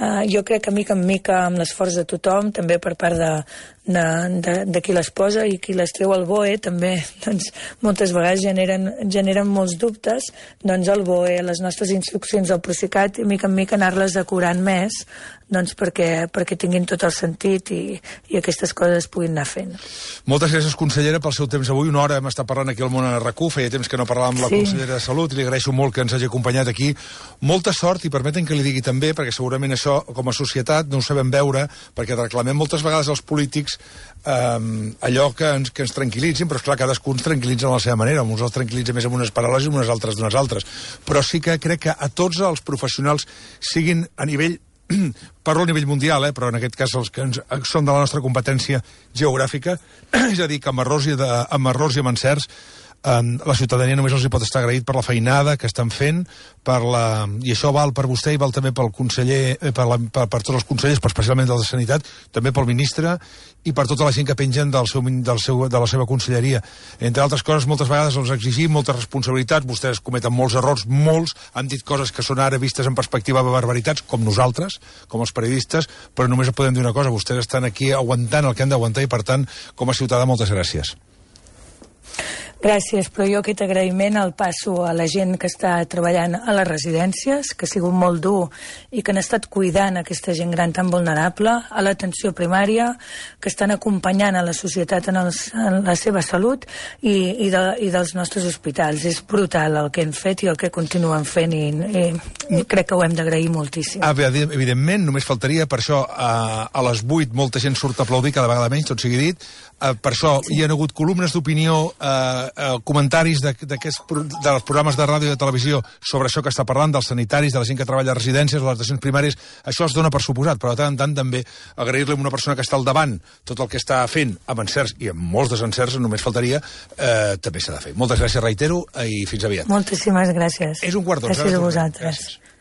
uh, jo crec que mica en mica amb l'esforç de tothom, també per part de, de, de, de qui les posa i qui les treu al B O E, també doncs, moltes vegades generen, generen molts dubtes, doncs el B O E, les nostres instruccions al Procicat, i mica en mica anar-les decorant més, doncs perquè, perquè tinguin tot el sentit i, i aquestes coses es puguin anar fent. Moltes gràcies, consellera, pel seu temps avui. Una hora hem estat parlant aquí al Món a R A C U, feia temps que no parlàvem amb la sí. consellera de Salut, i li agraeixo molt que ens hagi acompanyat aquí. Molta sort, i permeten que li digui també, perquè segurament això, com a societat, no ho sabem veure, perquè reclamem moltes vegades als polítics eh, allò que ens, que ens tranquil·litzin, però esclar, cadascú ens tranquil·litza a la seva manera, uns els tranquil·litza més amb unes paraules i unes altres d'unes altres. Però sí que crec que a tots els professionals siguin a nivell parlo a nivell mundial, eh, però en aquest cas els que ens, són de la nostra competència geogràfica, és a dir, que amb errors i, de, amb, errors i amb encerts eh, la ciutadania només els hi pot estar agraït per la feinada que estan fent, per la, i això val per vostè i val també pel conseller, eh, per, la, per, per tots els consellers, però especialment del de Sanitat, també pel ministre i per tota la gent que pengen del seu, del seu, de la seva conselleria. Entre altres coses, moltes vegades els exigim moltes responsabilitats, vostès cometen molts errors, molts, han dit coses que són ara vistes en perspectiva de barbaritats, com nosaltres, com els periodistes, però només podem dir una cosa, vostès estan aquí aguantant el que han d'aguantar i, per tant, com a ciutadà, moltes gràcies. Gràcies, però jo aquest agraïment el passo a la gent que està treballant a les residències, que ha sigut molt dur i que han estat cuidant aquesta gent gran tan vulnerable, a l'atenció primària, que estan acompanyant a la societat en, els, en la seva salut i, i, de, i dels nostres hospitals. És brutal el que hem fet i el que continuen fent i, i, i crec que ho hem d'agrair moltíssim. Ah, evidentment, només faltaria, per això a, a les vuit molta gent surt a aplaudir, cada vegada menys, tot sigui dit, uh, per això sí. Hi ha hagut columnes d'opinió, uh, Uh, comentaris de, de, de els programes de ràdio i de televisió sobre això que està parlant, dels sanitaris, de la gent que treballa a residències, de les atencions primàries, això es dona per suposat, però de tant en tant també agrair-li a una persona que està al davant tot el que està fent, amb encerts i amb molts desencerts, només faltaria, eh, també s'ha de fer. Moltes gràcies, reitero, i fins aviat. Moltíssimes gràcies. És un quart d'onze. Gràcies a vosaltres. Gràcies.